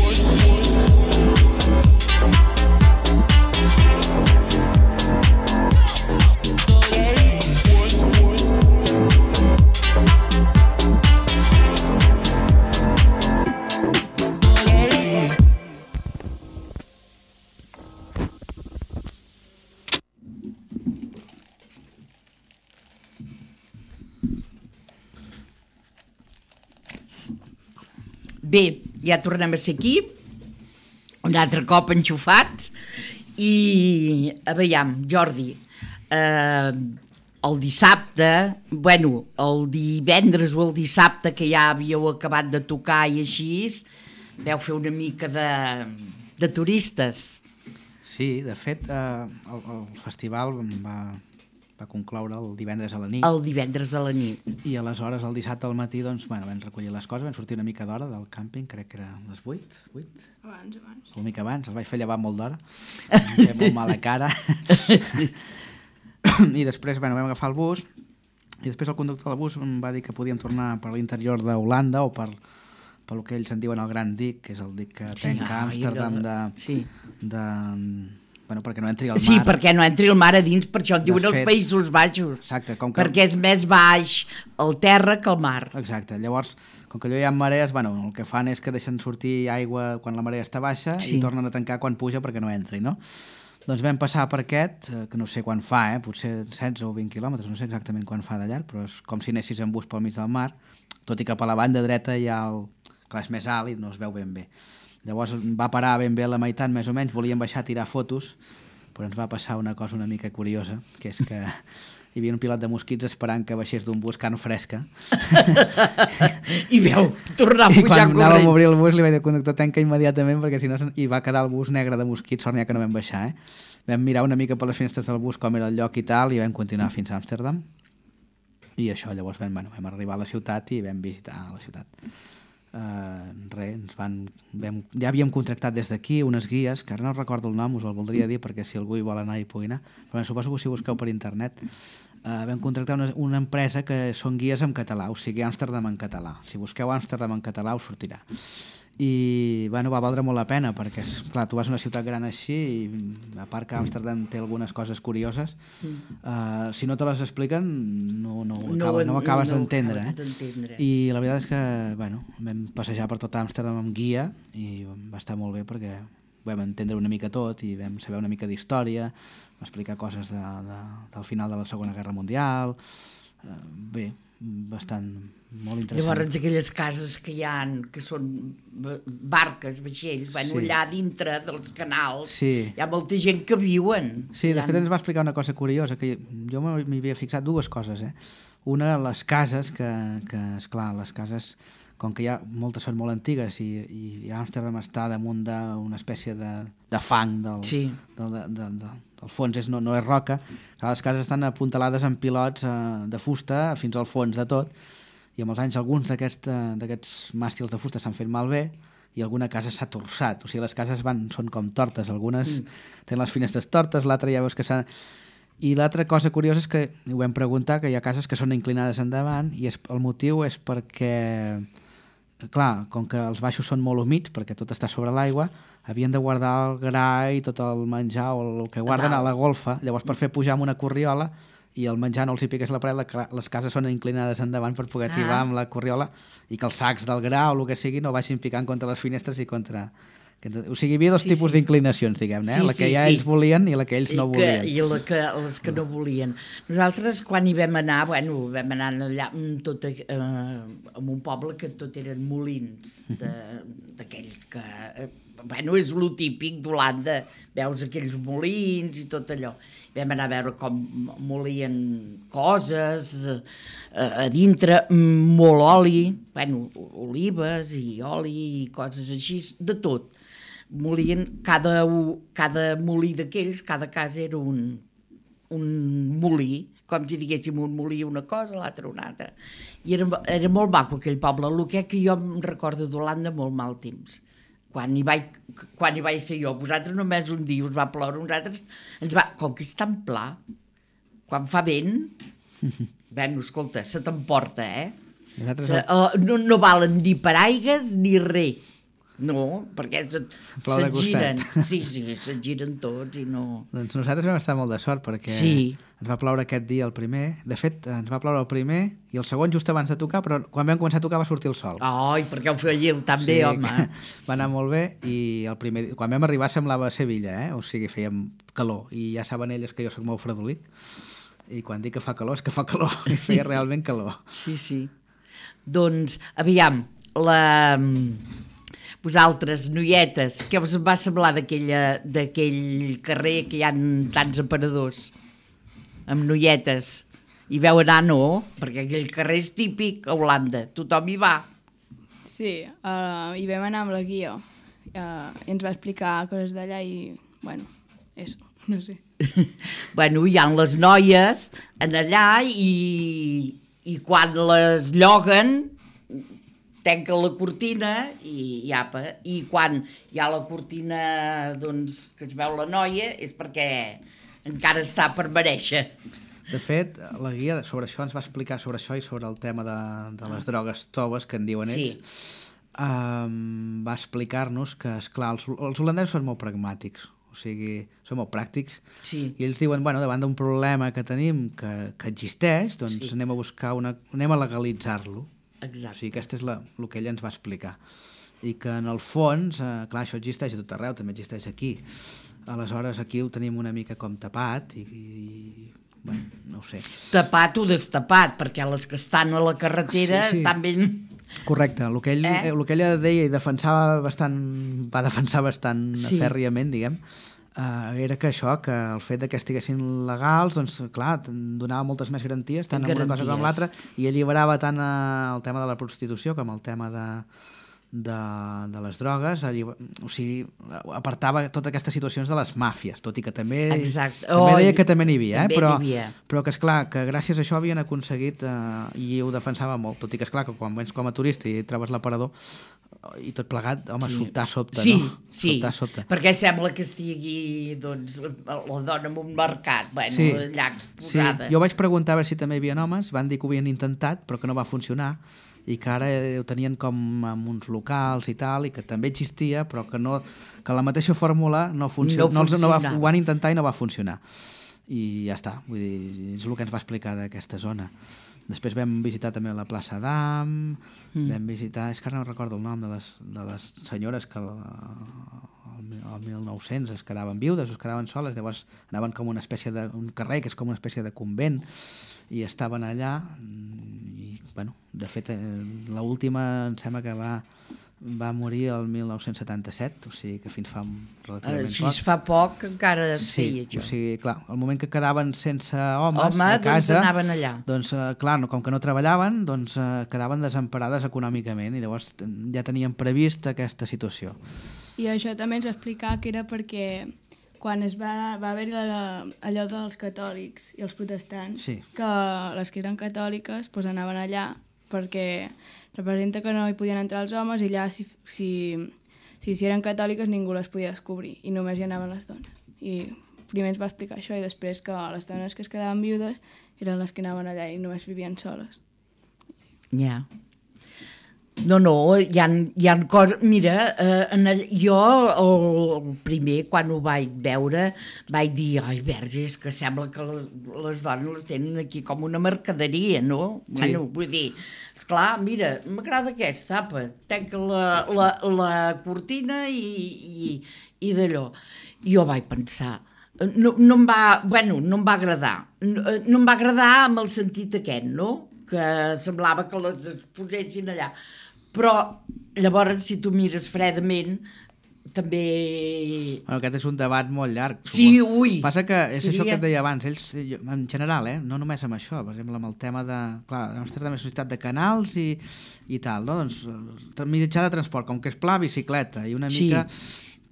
Bé, ja tornem a ser aquí. un altre cop enxufats, i a veiem, Jordi, eh, el dissabte, bueno, el divendres o el dissabte que ja havíeu acabat de tocar i així, veu fer una mica de, de turistes. Sí, de fet, eh, el, el festival va, va concloure el divendres a la nit. El divendres a la nit. I aleshores, el dissabte al matí, doncs, bueno, vam recollir les coses, vam sortir una mica d'hora del càmping, crec que era les vuit, vuit? Abans, abans. Una mica abans, els vaig fer llevar molt d'hora, em feia molt mala cara. I després, bueno, vam agafar el bus, i després el conductor del bus em va dir que podíem tornar per l'interior d'Holanda o per, per el que ells en diuen el Gran Dic, que és el dic que Sí, tanca ah, Amsterdam de, sí. de... Bueno, perquè no entri al mar. Sí, perquè no entri el mar a dins, per això en De diuen els fet- Països Baixos. Exacte, com que... Perquè és més baix el terra que el mar. Exacte, llavors, com que allò hi ha marees, bueno, el que fan és que deixen sortir aigua quan la marea està baixa Sí. i tornen a tancar quan puja perquè no entri, no? Doncs vam passar per aquest, eh, que no sé quan fa, eh? Potser setze o vint quilòmetres, no sé exactament quan fa de llarg, però és com si anessis en bus pel mig del mar, tot i que per la banda dreta hi ha el... Clar, és més alt i no es veu ben bé. Llavors va parar ben bé a la meitat, més o menys, volíem baixar a tirar fotos, però ens va passar una cosa una mica curiosa, que és que hi havia un pilot de mosquits esperant que baixés d'un bus carn fresca. I veu, tornar a I pujar quan anàvem a corrent. obrir el bus li vaig dir al conductor tanca immediatament perquè si no se'n- i va quedar el bus negre de mosquits, sort n'hi ha que no vam baixar, eh? Vam mirar una mica per les finestres del bus com era el lloc i tal i vam continuar fins a Amsterdam i això, llavors vam, bueno, vam arribar a la ciutat i vam visitar la ciutat. Uh, res, ens van, vam, ja havíem contractat des d'aquí unes guies, que ara no recordo el nom, us el voldria dir perquè si algú hi vol anar hi pugui anar, però suposo que si busqueu per internet uh, vam contractar una, una empresa que són guies en català, o sigui Amsterdam en català. Si busqueu Amsterdam en català us sortirà. I bueno, va valdre molt la pena perquè, és, clar, tu vas a una ciutat gran així i a part que Amsterdam té algunes coses curioses, uh, si no te les expliquen no, no, ho acabes, no ho acabes no ho d'entendre, acabes eh? d'entendre. I la veritat és que bueno, vam passejar per tot Amsterdam amb guia i va estar molt bé perquè vam entendre una mica tot i vam saber una mica d'història, va explicar coses de, de, del final de la Segona Guerra Mundial, uh, bé, bastant molt interessant. Llavors aquelles cases que hi ha, que són barques, vaixells, bueno, Sí. allà dintre dels canals, Sí. hi ha molta gent que viuen. Sí, de Allà. fet ens va explicar una cosa curiosa, que jo m'hi havia fixat dues coses, eh? Una, les cases, que, que esclar, les cases, com que hi ha, moltes són molt antigues i, i Amsterdam està damunt d'una espècie de, de fang del, Sí. del, de, de, de, del fons, és, no, no és roca, clar, les cases estan apuntalades amb pilots eh, de fusta fins al fons de tot, i amb els anys alguns d'aquests eh, d'aquests màstils de fusta s'han fet malbé i alguna casa s'ha torçat, o sigui, les cases van, són com tortes, algunes mm. tenen les finestres tortes, l'altra ja veus que s'ha... I l'altra cosa curiosa és que ho vam preguntar, que hi ha cases que són inclinades endavant i és, el motiu és perquè, clar, com que els baixos són molt humits, perquè tot està sobre l'aigua, havien de guardar el gra i tot el menjar o el que guarden a la golfa, llavors per fer pujar amb una corriola i el menjar no els hi piqués la paret, la, les cases són inclinades endavant per poder tibar Ah. amb la corriola i que els sacs del gra o el que sigui no vagin picant contra les finestres i contra... O sigui, hi havia dos Sí, tipus sí. d'inclinacions, diguem-ne, eh? Sí, la que sí, ja sí. ells volien i la que ells I no que, volien. I la que, les que no volien. Nosaltres, quan hi vam anar, bueno, vam anar allà amb tot, eh, en un poble que tot eren molins, de- d'aquells que... Eh, bueno, és lo típic d'Holanda, veus aquells molins i tot allò. Vam anar a veure com molien coses, eh, a dintre, mm, molt oli, bueno, olives i oli i coses així, de tot. Molien, cada, u- cada molí d'aquells, cada casa era un, un molí, com si diguéssim un molí una cosa, l'altre una altra. I era, era molt maco aquell poble, el que, que jo em recordo d'Holanda molt mal temps. Quan hi, vaig, quan hi vaig ser jo, vosaltres només un dia us va ploure, nosaltres ens va... Com que és tan pla, quan fa vent, bueno, escolta, se t'emporta, eh? Nosaltres Se, uh, no, no valen ni paraigues ni res. No, perquè se't, Plou de se't giren. costat. Sí, sí, se't giren tots i no... Doncs nosaltres vam estar molt de sort perquè Sí. ens va ploure aquest dia el primer. De fet, ens va ploure el primer i el segon just abans de tocar, però quan vam començar a tocar va sortir el sol. Ai, perquè ho fèieu tan bé, home. que va anar molt bé i el primer, quan vam arribar semblava Sevilla, eh? O sigui, fèiem calor i ja saben elles que jo sóc molt fredolic i quan dic que fa calor és que fa calor i feia realment calor. Sí, sí. Doncs, aviam, la... vosaltres, noietes, què us va semblar d'aquella- d'aquell carrer que hi ha tants aparadors amb noietes? Hi veu anar, no? Perquè aquell carrer és típic a Holanda, tothom hi va. Sí, uh, hi vam anar amb la guia uh, i ens va explicar coses d'allà i, bueno, eso, no sé. Bueno, hi ha les noies en allà i, i quan les lloguen tanquen la cortina i, i apa, i quan hi ha la cortina doncs, que es veu la noia és perquè encara està per mereixer. De fet, la guia sobre això ens va explicar sobre això i sobre el tema de, de les drogues toves, que en diuen ells. Sí. Um, va explicar-nos que, esclar, els, els holandesos són molt pragmàtics, o sigui, són molt pràctics, Sí. i ells diuen, bueno, davant d'un problema que tenim que, que existeix, doncs Sí. anem a buscar una, anem a legalitzar-lo. O Exacte. sigui, aquesta és la, el que ella ens va explicar. I que en el fons, eh, clar, això existeix a tot arreu, també existeix aquí. Aleshores, aquí ho tenim una mica com tapat i, i bueno, no ho sé. Tapat o destapat, perquè les que estan a la carretera Sí, sí. estan ben... Correcte, el que, ell, Eh? eh? el que ella deia i defensava bastant, va defensar bastant Sí. fèrriament, diguem, eh, era que això, que el fet de que estiguessin legals, doncs clar, donava moltes més garanties, tant en una cosa com en l'altra, i alliberava tant eh, el tema de la prostitució com el tema de, de, de les drogues, alliber... o sigui, apartava totes aquestes situacions de les màfies, tot i que també, Exacte. també Oh, deia que també n'hi havia, eh? també però, n'hi havia. però que esclar, que gràcies a això havien aconseguit eh, i ho defensava molt, tot i que esclar que quan vens com a turista i trobes l'aparador i tot plegat, home, Sí. sobtar sobte, Sí, no? sí, Sobtar sobte. perquè sembla que estigui doncs, la dona en un mercat, bueno, Sí. allà Sí, exposada. jo vaig preguntar a veure si també hi havia homes, van dir que ho havien intentat però que no va funcionar i que ara ho tenien com en uns locals i tal, i que també existia però que, no, que la mateixa fórmula no, funcio No no, els- no va, funcionava. ho van intentar i no va funcionar i ja està, vull dir, és el que ens va explicar d'aquesta zona. Després vam visitar també la plaça d'Am, mm. vam visitar, és que ara no recordo el nom de les, de les senyores que el, el, el mil nou-cents es quedaven viudes, es quedaven soles, llavors anaven com una espècie de, un carrer que és com una espècie de convent i estaven allà i, bueno, de fet eh, l'última em sembla que va va morir el mil nou-cents setanta-set, o sigui que fins fa relativament Així poc. es fa poc que encara es Sí, feia o això. sigui, clar, el moment que quedaven sense homes Home, a doncs casa, anaven allà. doncs, eh, clar, no, com que no treballaven, doncs eh, quedaven desemparades econòmicament i llavors ten- ja tenien previst aquesta situació. I això també ens va explicar que era perquè quan es va, va haver la, allò dels catòlics i els protestants, Sí. que les que eren catòliques pues, anaven allà perquè representa que no hi podien entrar els homes i allà si, si, si, si eren catòliques ningú les podia descobrir i només hi anaven les dones. I primer ens va explicar això i després que les dones que es quedaven viudes eren les que anaven allà i només vivien soles. Ja. No, no, hi ha, hi ha coses... Mira, eh, en el, jo el, el primer, quan ho vaig veure, vaig dir, ai, verge, és que sembla que les, les dones les tenen aquí com una mercaderia, no? Sí. Bueno, vull dir, esclar, mira, m'agrada aquesta, apa, tanca la, la, la cortina i, i, i d'allò. I jo vaig pensar, no, no em va, bueno, no em va agradar. No, no em va agradar amb el sentit aquest, no? Que semblava que les exposessin allà. Però llavors, si tu mires fredament, també... Bueno, aquest és un debat molt llarg. Sí, suposo. ui, Passa que és seria- això que et deia abans, ells, jo- en general, eh, no només amb això, per exemple, amb el tema de... Clar, la nostra també és una societat de canals i, i tal, no? Doncs, el mitjà de transport, com que és pla, bicicleta, i una Sí. mica...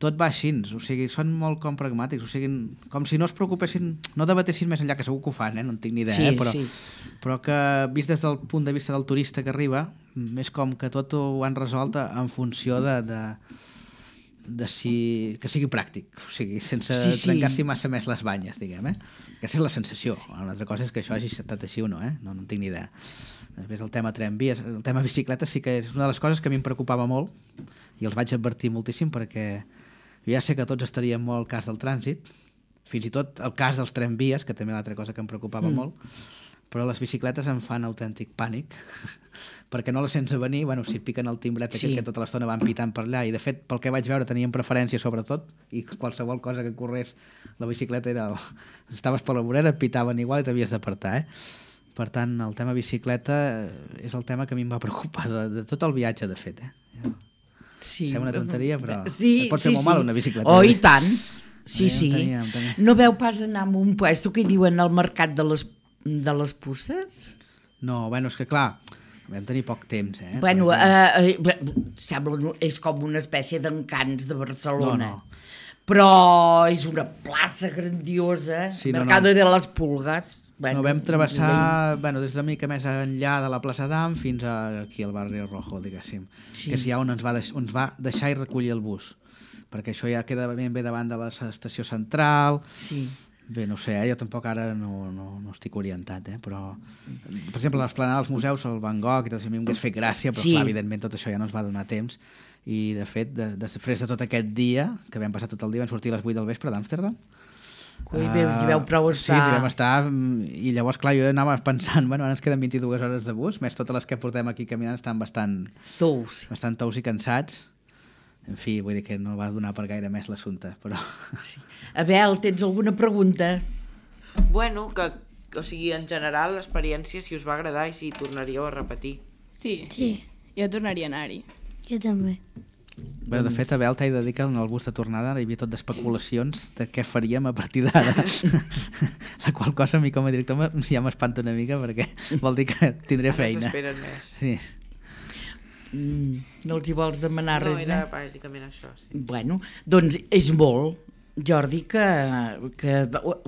Tot va així, o sigui, són molt com pragmàtics, o sigui, com si no es preocupessin, no debatessin més enllà, que segur que ho fan, eh? No en tinc ni idea, Sí, eh? però, sí. però que vist des del punt de vista del turista que arriba, és com que tot ho han resolt en funció de, de, de si, que sigui pràctic, o sigui, sense Sí, sí. trencar-s'hi massa més les banyes, diguem, eh? Aquesta és la sensació. Sí. Una altra cosa és que això hagi estat així o no, eh? No, no en tinc ni idea. Després el tema tramvies, el tema bicicleta sí que és una de les coses que a mi em preocupava molt i els vaig advertir moltíssim perquè jo ja sé que tots estaríem molt al cas del trànsit, fins i tot el cas dels tramvies, que també és l'altra cosa que em preocupava mm. molt, però les bicicletes em fan autèntic pànic perquè no les sents a venir, bueno, si et piquen el timbret Sí. aquest que tota l'estona van pitant per allà i de fet pel que vaig veure tenien preferència sobretot i qualsevol cosa que corrés la bicicleta era... El... estaves per la vorera, et pitaven igual i t'havies d'apartar, eh? Per tant, el tema bicicleta és el tema que a mi em va preocupar de, de tot el viatge, de fet, eh? Sí. Sembla una tonteria, però sí, pot fer sí, molt sí. mal una bicicleta. Oh, i tant. Sí, Eh, sí. en tenia, en tenia. No veu pas anar a un puesto que diuen al mercat de les, de les puces? No, bueno, és que clar, vam tenir poc temps, eh? Bueno, Perquè- eh, eh, sembla, és com una espècie d'encants de Barcelona. No, no. Però és una plaça grandiosa, Sí, no, Mercado no. de les Pulgas. Bueno, no, vam travessar, bueno, des d'una mica més enllà de la plaça d'Am fins a aquí al barri Rojo, diguéssim, Sí. que és ja on ens va, deix, on ens va deixar i recollir el bus, perquè això ja queda ben bé davant de l'estació central. Sí. Bé, no sé, eh? Jo tampoc ara no, no, no estic orientat, eh? Però, per exemple, l'esplanada dels museus, el Van Gogh i tot això, a mi m'hagués fet gràcia, però Sí. clar, evidentment tot això ja no ens va donar temps, i de fet, de, després de tot aquest dia, que vam passar tot el dia, vam sortir a les vuit del vespre d'Amsterdam. Ui, veus, hi veu prou Sí, estar. hi vam estar, mm, i llavors, clar, jo anava pensant, bueno, ara ens queden vint-i-dues hores de bus, més totes les que portem aquí caminant estan bastant, Tous. bastant tous i cansats. En fi, vull dir que no va donar per gaire més l'assumpte, però... Sí. Abel, tens alguna pregunta? Bueno, que, o sigui, en general, l'experiència, si us va agradar i si tornaríeu a repetir. Sí, Sí, jo tornaria a anar-hi. jo també. Bé, de fet, Abel, t'he de dir que en el bus de tornada hi havia tot d'especulacions de què faríem a partir d'ara. La qual cosa a mi com a director me- ja m'espanta una mica perquè vol dir que tindré Ara feina. s'esperen més. Sí. Mm, no els hi vols demanar No, res era més? bàsicament això, sí. Bueno, doncs és molt, Jordi, que, que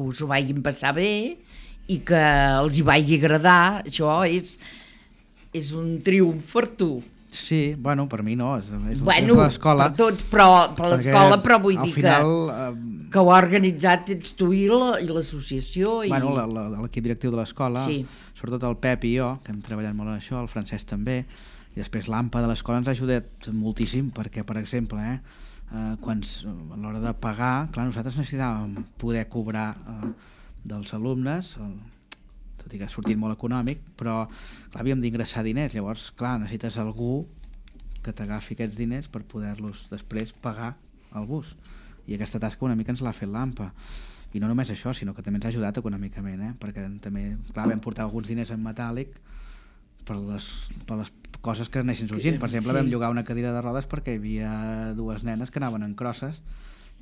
us ho vagin passar bé i que els hi vagi agradar. Això és, és un triomf per tu. Sí, bueno, per mi no, és, és el Bueno, temps de l'escola. per tots, però per l'escola, però vull al dir final, que, eh, que ho ha organitzat ets tu i la- i l'associació. I... bueno, la- la- l'equip directiu de l'escola, Sí. sobretot el Pep i jo, que hem treballat molt en això, el Francesc també, i després l'AMPA de l'escola ens ha ajudat moltíssim, perquè, per exemple, eh, eh, quan, s- a l'hora de pagar, clar, nosaltres necessitàvem poder cobrar eh, dels alumnes, el, tot i que ha sortit molt econòmic, però clar, havíem d'ingressar diners, llavors, clar, necessites algú que t'agafi aquests diners per poder-los després pagar al bus. I aquesta tasca una mica ens l'ha fet l'AMPA. I no només això, sinó que també ens ha ajudat econòmicament, eh? Perquè també, clar, vam portar alguns diners en metàl·lic per les, per les coses que anessin sorgint. Per exemple, Sí. vam llogar una cadira de rodes perquè hi havia dues nenes que anaven en crosses,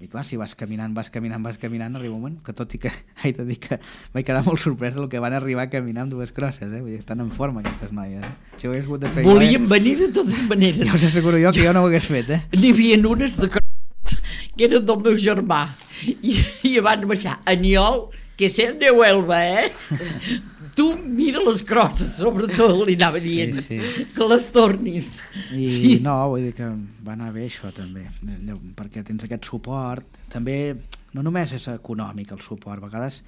i clar, si vas caminant, vas caminant, vas caminant, arriba un moment que, tot i que he de dir que vaig quedar molt sorprès del que van arribar a caminar amb dues crosses, eh? Vull dir, estan en forma aquestes noies, eh? Si ho hagués hagut de fer Volíem jo, venir de totes maneres. eh? Ja us asseguro jo que jo no ho hagués fet, eh? N'hi havia unes de c***, que eren del meu germà. I, i van baixar, Aniol, que ser de Huelva, eh? Tu mira les crosses, sobretot, li anava dient, Sí, sí. que les tornis. I Sí. no, vull dir que va anar bé això també, allò, perquè tens aquest suport, també no només és econòmic el suport, a vegades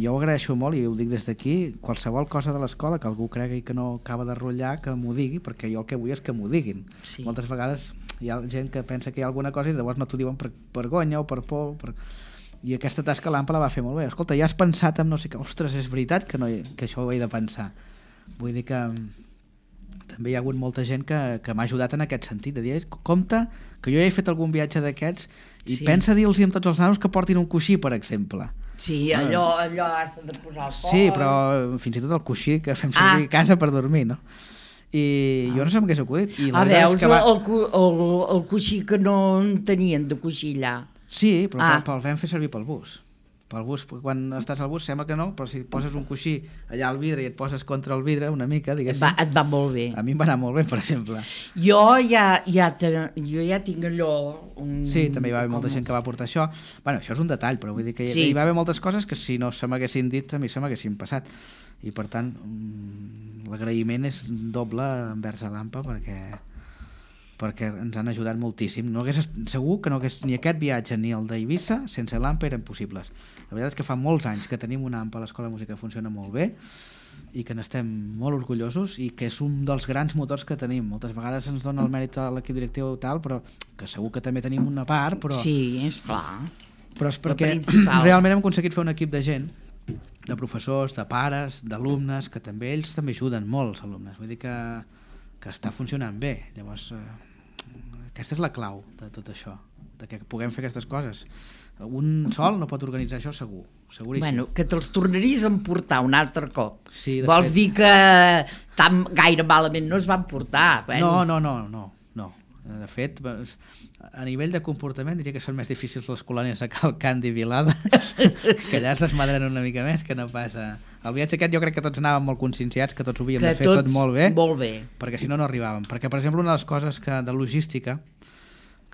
jo ho agraeixo molt i ho dic des d'aquí, qualsevol cosa de l'escola que algú cregui que no acaba de rotllar, que m'ho digui, perquè jo el que vull és que m'ho diguin. Sí. Moltes vegades hi ha gent que pensa que hi ha alguna cosa i llavors no t'ho diuen per vergonya o per por, per... i aquesta tasca l'AMPA la va fer molt bé. Escolta, ja has pensat en no sé què, ostres, és veritat que, no hi, que això ho he de pensar. Vull dir que també hi ha hagut molta gent que, que m'ha ajudat en aquest sentit, de dir, compte que jo ja he fet algun viatge d'aquests i Sí. pensa dir-los amb tots els nanos que portin un coixí, per exemple. Sí, allò, allò has de posar al Sí, però fins i tot el coixí que fem servir Ah. a casa per dormir, no? I jo no sé com m'hagués acudit. I la Ah, veritat és veus, que va... el, cu- el, el coixí que no en tenien de coixí allà. Sí, però, Ah. ah. però el vam fer servir pel bus. Pel bus, quan estàs al bus sembla que no, però si poses un coixí allà al vidre i et poses contra el vidre una mica, Et diguéssim, va, et va molt bé. a mi em va anar molt bé, per exemple. Jo ja, ja, te, jo ja tinc allò... Un, Sí, també hi va haver molta com- gent que va portar això. Bueno, això és un detall, però vull dir que hi, Sí. hi va haver moltes coses que si no se m'haguessin dit, a mi se m'haguessin passat. I per tant, mm, l'agraïment és doble envers a l'AMPA perquè perquè ens han ajudat moltíssim. No hagués, segur que no hagués, ni aquest viatge ni el d'Eivissa sense l'AMPA eren possibles. La veritat és que fa molts anys que tenim una AMPA a l'Escola de Música que funciona molt bé i que n'estem molt orgullosos i que és un dels grans motors que tenim. Moltes vegades ens dona el mèrit a l'equip directiu tal, però que segur que també tenim una part, però, Sí, és clar. però és La perquè principal. realment hem aconseguit fer un equip de gent, de professors, de pares, d'alumnes, que també ells també ajuden molt els alumnes. Vull dir que, que està funcionant bé. Llavors, eh, aquesta és la clau de tot això, de que puguem fer aquestes coses. Un sol no pot organitzar això segur, seguríssim. Bueno, que te'ls tornaries a emportar un altre cop. Sí, de Vols fet. dir que tan gaire malament no es van portar? Bueno, No, no, no, no, no. De fet, a nivell de comportament diria que són més difícils les colònies a Calcant i Vilada, que allà es desmadren una mica més, que no passa... El viatge aquest jo crec que tots anàvem molt conscienciats, que tots ho havíem Que de fer tot tots molt bé, molt bé. perquè si no no arribàvem. Perquè, per exemple, una de les coses que, de logística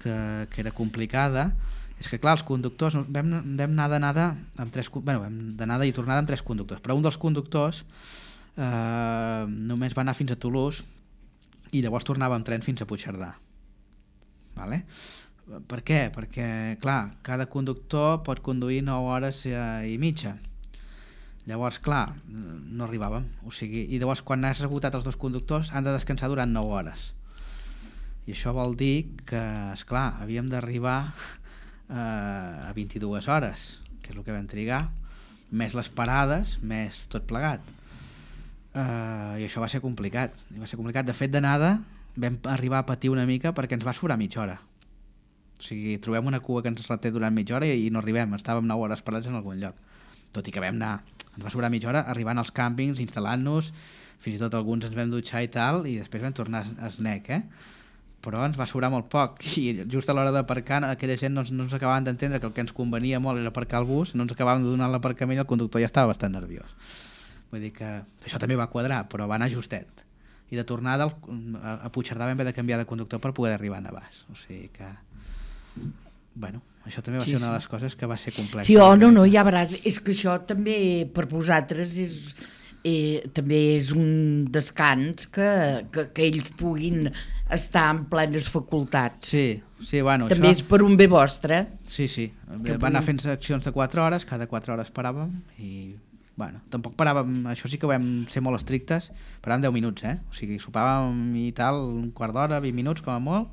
que, que era complicada és que, clar, els conductors vam, vam anar d'anada amb tres, bueno, vam d'anada i tornada amb tres conductors, però un dels conductors eh, només va anar fins a Toulouse i llavors tornava amb tren fins a Puigcerdà. Vale? Per què? Perquè, clar, cada conductor pot conduir nou hores i mitja. Llavors, clar, no arribàvem. O sigui, i llavors, quan has esgotat els dos conductors, han de descansar durant nou hores. I això vol dir que, esclar, havíem d'arribar eh, a vint-i-dues hores, que és el que vam trigar, més les parades, més tot plegat. Eh, I això va ser complicat. I va ser complicat. De fet, d'anada vam arribar a patir una mica perquè ens va sobrar mitja hora. O sigui, trobem una cua que ens reté durant mitja hora i, i no arribem, estàvem nou hores parats en algun lloc. Tot i que vam anar, ens va sobrar mitja hora arribant als càmpings, instal·lant-nos, fins i tot alguns ens vam dutxar i tal, i després vam tornar a Snec, eh? Però ens va sobrar molt poc, i just a l'hora d'aparcar aquella gent no, no ens acabaven d'entendre que el que ens convenia molt era aparcar el bus, no ens acabàvem de donar l'aparcament i el conductor ja estava bastant nerviós. Vull dir que això també va quadrar, però va anar justet. I de tornada a Puigcerdà vam haver de canviar de conductor per poder arribar a Navàs. O sigui que... Bueno, això també va Sí, ser una sí. de les coses que va ser complexa. Sí, oh, no, no, ja veuràs. És que això també, per vosaltres, és, eh, també és un descans que, que, que ells puguin estar en plenes facultats. Sí, sí, bueno, També això... és per un bé vostre. Sí, sí. Que Van anar puguin- fent seccions de quatre hores, cada quatre hores paràvem i... Bueno, tampoc paràvem, això sí que ho vam ser molt estrictes, paràvem deu minuts, eh? O sigui, sopàvem i tal, un quart d'hora, vint minuts com a molt,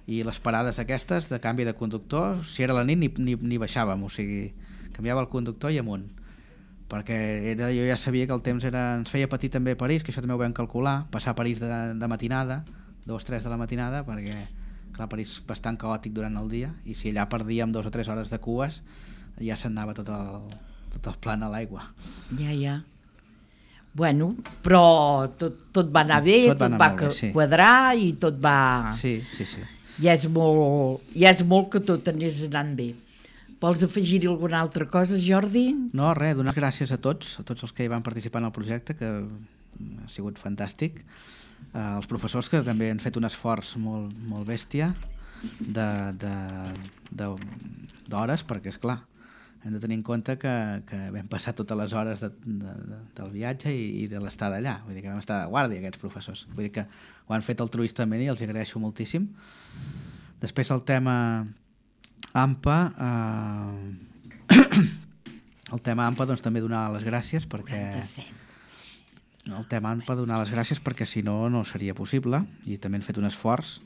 i les parades aquestes de canvi de conductor, si era la nit ni, ni, ni baixàvem, o sigui, canviava el conductor i amunt, perquè era, jo ja sabia que el temps era, ens feia patir també a París, que això també ho vam calcular, passar a París de, de matinada, dos, tres de la matinada, perquè clar, París bastant caòtic durant el dia, i si allà perdíem dos o tres hores de cues, ja se'n anava tot el, tot el plan a l'aigua. Ja, ja. Bueno, però tot, tot va anar bé, Tot tot, va anar va molt bé, sí. quadrar i tot va... Sí, sí, sí. Ja és molt, ja és molt que tot anés anant bé. Vols afegir-hi alguna altra cosa, Jordi? No, res, donar gràcies a tots, a tots els que hi van participar en el projecte, que ha sigut fantàstic. Uh, els professors que també han fet un esforç molt, molt bèstia de, de, de, d'hores, perquè és clar, hem de tenir en compte que, que vam passar totes les hores de, de, de, del viatge i, i de l'estada allà, vull dir que vam estar de guàrdia aquests professors, vull dir que ho han fet altruistament i els agraeixo moltíssim. Després el tema A M P A, eh, el tema A M P A doncs també donar les gràcies perquè el tema A M P A donar les gràcies perquè si no no seria possible i també han fet un esforç.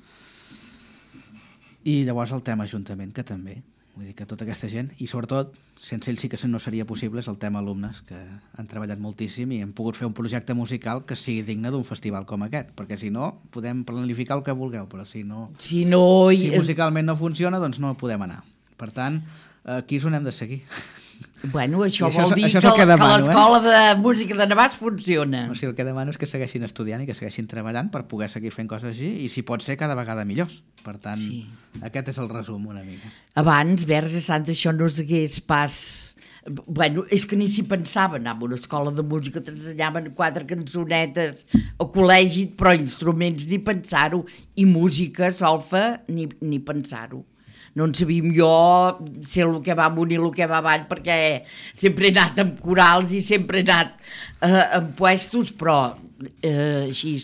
I llavors el tema Ajuntament, que també, vull dir que tota aquesta gent, i sobretot, sense ells sí que no seria possible, és el tema alumnes, que han treballat moltíssim i hem pogut fer un projecte musical que sigui digne d'un festival com aquest, perquè si no, podem planificar el que vulgueu, però si no... Si no... Si musicalment no funciona, doncs no podem anar. Per tant, aquí és on hem de seguir. Bueno, això, I això vol és- dir això és que, el que que demano, l'escola de música de Navàs funciona. O sigui, el que demano és que segueixin estudiant i que segueixin treballant per poder seguir fent coses així i si pot ser cada vegada millors. Per tant, Sí. aquest és el resum una mica. Abans, Verge Santa, això no s'hagués pas... Bueno, és que ni s'hi pensava anar a una escola de música, t'ensenyaven quatre cançonetes a col·legi, però instruments ni pensar-ho, i música, solfa, ni, ni pensar-ho. No en sabíem jo ser el que va amunt i el que va avall, perquè sempre he anat amb corals i sempre he anat eh, en puestos, però eh, així,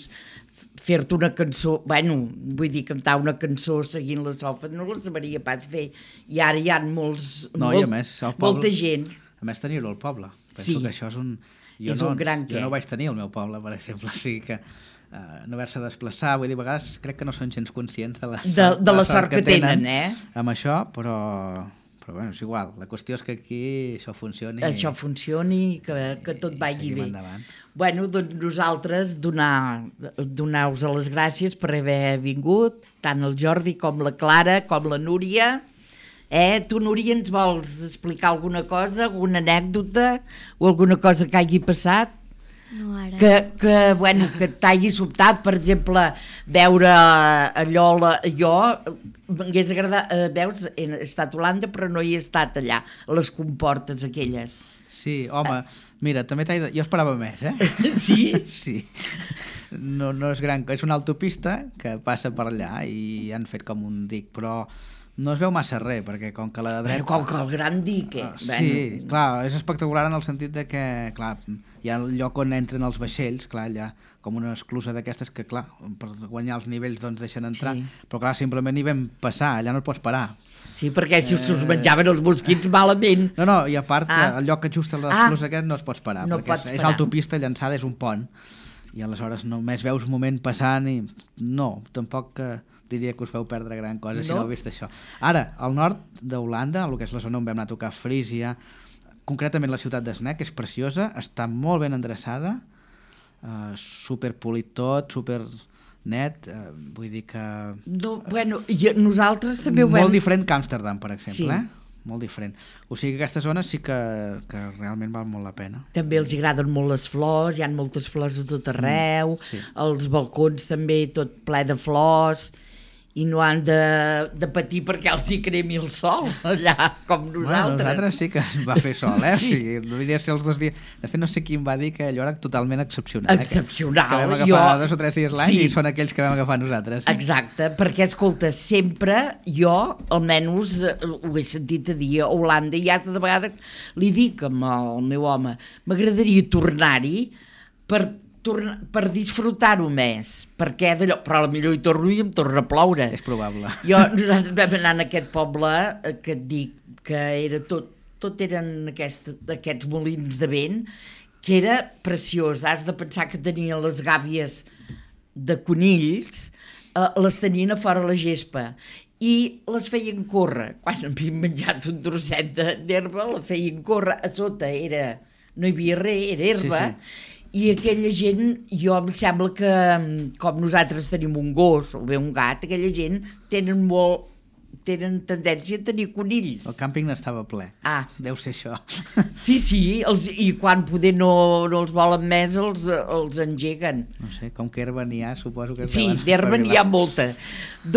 fer-te una cançó, bueno, vull dir, cantar una cançó seguint la solfa, no la sabria pas fer. I ara hi ha molts, No, molt, i a més, el poble, molta gent. A més, tenir-ho al poble. Penso Sí. que això és un... Jo És no, un gran jo què. no ho vaig tenir al meu poble, per exemple, o sigui que uh, no haver-se de desplaçar, vull dir, a vegades crec que no són gens conscients de la, De, de la sort que tenen, eh? amb això, però, però bueno, és igual. La qüestió és que aquí això funcioni. Això funcioni, que, que tot i vagi seguim bé. endavant. Bueno, doncs nosaltres donar, donar-vos les gràcies per haver vingut, tant el Jordi com la Clara, com la Núria. Eh? Tu, Núria, ens vols explicar alguna cosa, alguna anècdota o alguna cosa que hagi passat? No, ara. Que, que, bueno, que t'hagi sobtat, per exemple, veure allò, la, jo m'hagués agradat, eh, veus, he estat a Holanda però no hi he estat allà, a les comportes aquelles. Sí, home, mira, també t'he de... jo esperava més, eh? Sí? Sí. No, no és gran, és una autopista que passa per allà i han fet com un dic, però no es veu massa res, perquè com que la dreta... Bueno, com que el gran dic, eh? Uh, sí, bueno. Clar, és espectacular en el sentit de que, clar, hi ha el lloc on entren els vaixells, clar, allà, com una esclusa d'aquestes que, clar, per guanyar els nivells doncs deixen entrar, Sí. però clar, simplement hi vam passar, allà no et pots parar. Sí, perquè si us menjaven els mosquits malament. No, no, i a part, Ah. el lloc que just a Ah. l'esclusa aquest no es pots parar, No perquè pots és, és parar. autopista llançada, és un pont, i aleshores només veus un moment passant i no, tampoc que diria que us feu perdre gran cosa si No? no heu vist això. Ara, al nord d'Holanda, el que és la zona on vam anar a tocar Frísia, concretament la ciutat d'Snack, és preciosa, està molt ben endreçada, uh, super polit tot, super net, uh, vull dir que... No, bueno, i nosaltres també ho Molt vam... diferent que Amsterdam, per exemple, Sí. eh? Molt diferent. O sigui que aquesta zona sí que, que realment val molt la pena. També els agraden molt les flors, hi ha moltes flors a tot arreu, Mm, sí. els balcons també tot ple de flors, i no han de, de patir perquè els hi cremi el sol allà, com nosaltres. Bueno, nosaltres sí que es va fer sol, eh? Sí. Sí. O sigui, no diria ser els dos dies... De fet, no sé qui em va dir que allò era totalment excepcional. Excepcional. Eh? Que, que vam agafar Jo- dos o tres dies l'any Sí. i són aquells que vam agafar nosaltres. Exacte, perquè, escolta, sempre jo, almenys, eh, ho he sentit a dir a Holanda, i altra de vegades li dic al meu home, m'agradaria tornar-hi per, tornar, per disfrutar-ho més, perquè d'allò, però potser hi torno i em torna a ploure. És probable. Jo, nosaltres vam anar en aquest poble eh, que et dic que era tot, tot eren aquest, aquests molins de vent, que era preciós. Has de pensar que tenien les gàbies de conills, eh, les tenien a fora la gespa i les feien córrer. Quan havien menjat un trosset de- d'herba, la feien córrer. A sota era, no hi havia res, era herba. Sí, sí. I aquella gent, jo em sembla que, com nosaltres tenim un gos o bé un gat, aquella gent tenen molt, tenen tendència a tenir conills. El càmping n'estava ple. Ah. Deu ser això. Sí, sí, els, i quan poder no, no els volen més, els, els engeguen. No sé, com que herba n'hi ha, suposo que... es Sí, deuen d'herba n'hi ha espavilar. molta.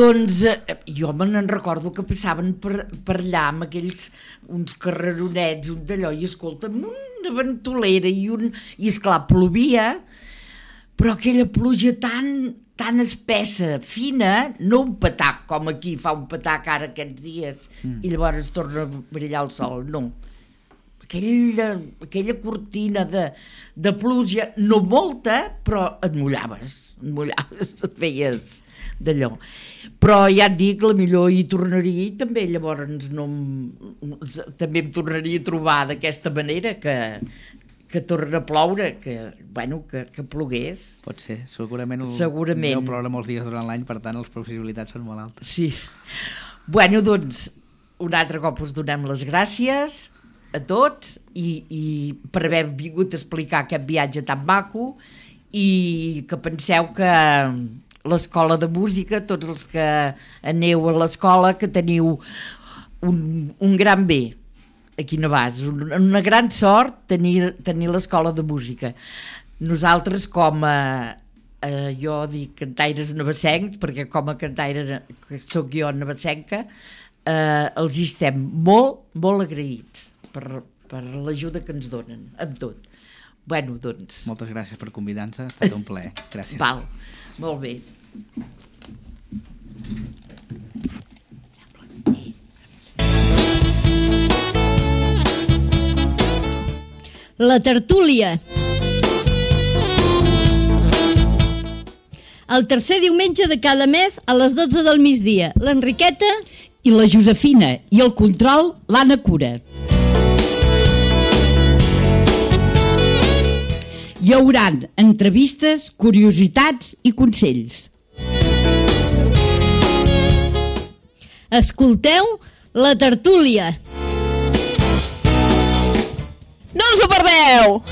Doncs eh, jo me n'en recordo que passaven per, per allà amb aquells, uns carreronets, un d'allò, i escolta, una ventolera i un... I esclar, plovia, però aquella pluja tan, tan espessa, fina, no un patac com aquí fa un patac ara aquests dies, mm. i llavors torna a brillar el sol, no. Aquella, aquella cortina de, de pluja, no molta, però et mullaves, et mullaves, et feies d'allò. Però ja et dic, la millor hi tornaria i també llavors no, em- també em tornaria a trobar d'aquesta manera que, que torna a ploure, que, bueno, que, que plogués. Pot ser, segurament, el, Segurament. deu ploure molts dies durant l'any, per tant, les possibilitats són molt altes. Sí. Bueno, doncs, un altre cop us donem les gràcies a tots i, i per haver vingut a explicar aquest viatge tan maco i que penseu que l'escola de música, tots els que aneu a l'escola, que teniu un, un gran bé aquí a Navàs, un, una gran sort tenir, tenir l'escola de música. Nosaltres com a, eh, jo dic cantaires navassencs, perquè com a cantaire que sóc jo navassenca, eh, els hi estem molt, molt agraïts per, per l'ajuda que ens donen, amb tot. Bueno, doncs... Moltes gràcies per convidar-nos, ha estat un plaer. Gràcies. Val, molt bé. La tertúlia. El tercer diumenge de cada mes a les dotze del migdia. L'Enriqueta I la Josefina i el control, l'Anna Cura. Hi hauran entrevistes, curiositats i consells. escolteu la tertúlia. No us ho perdeu!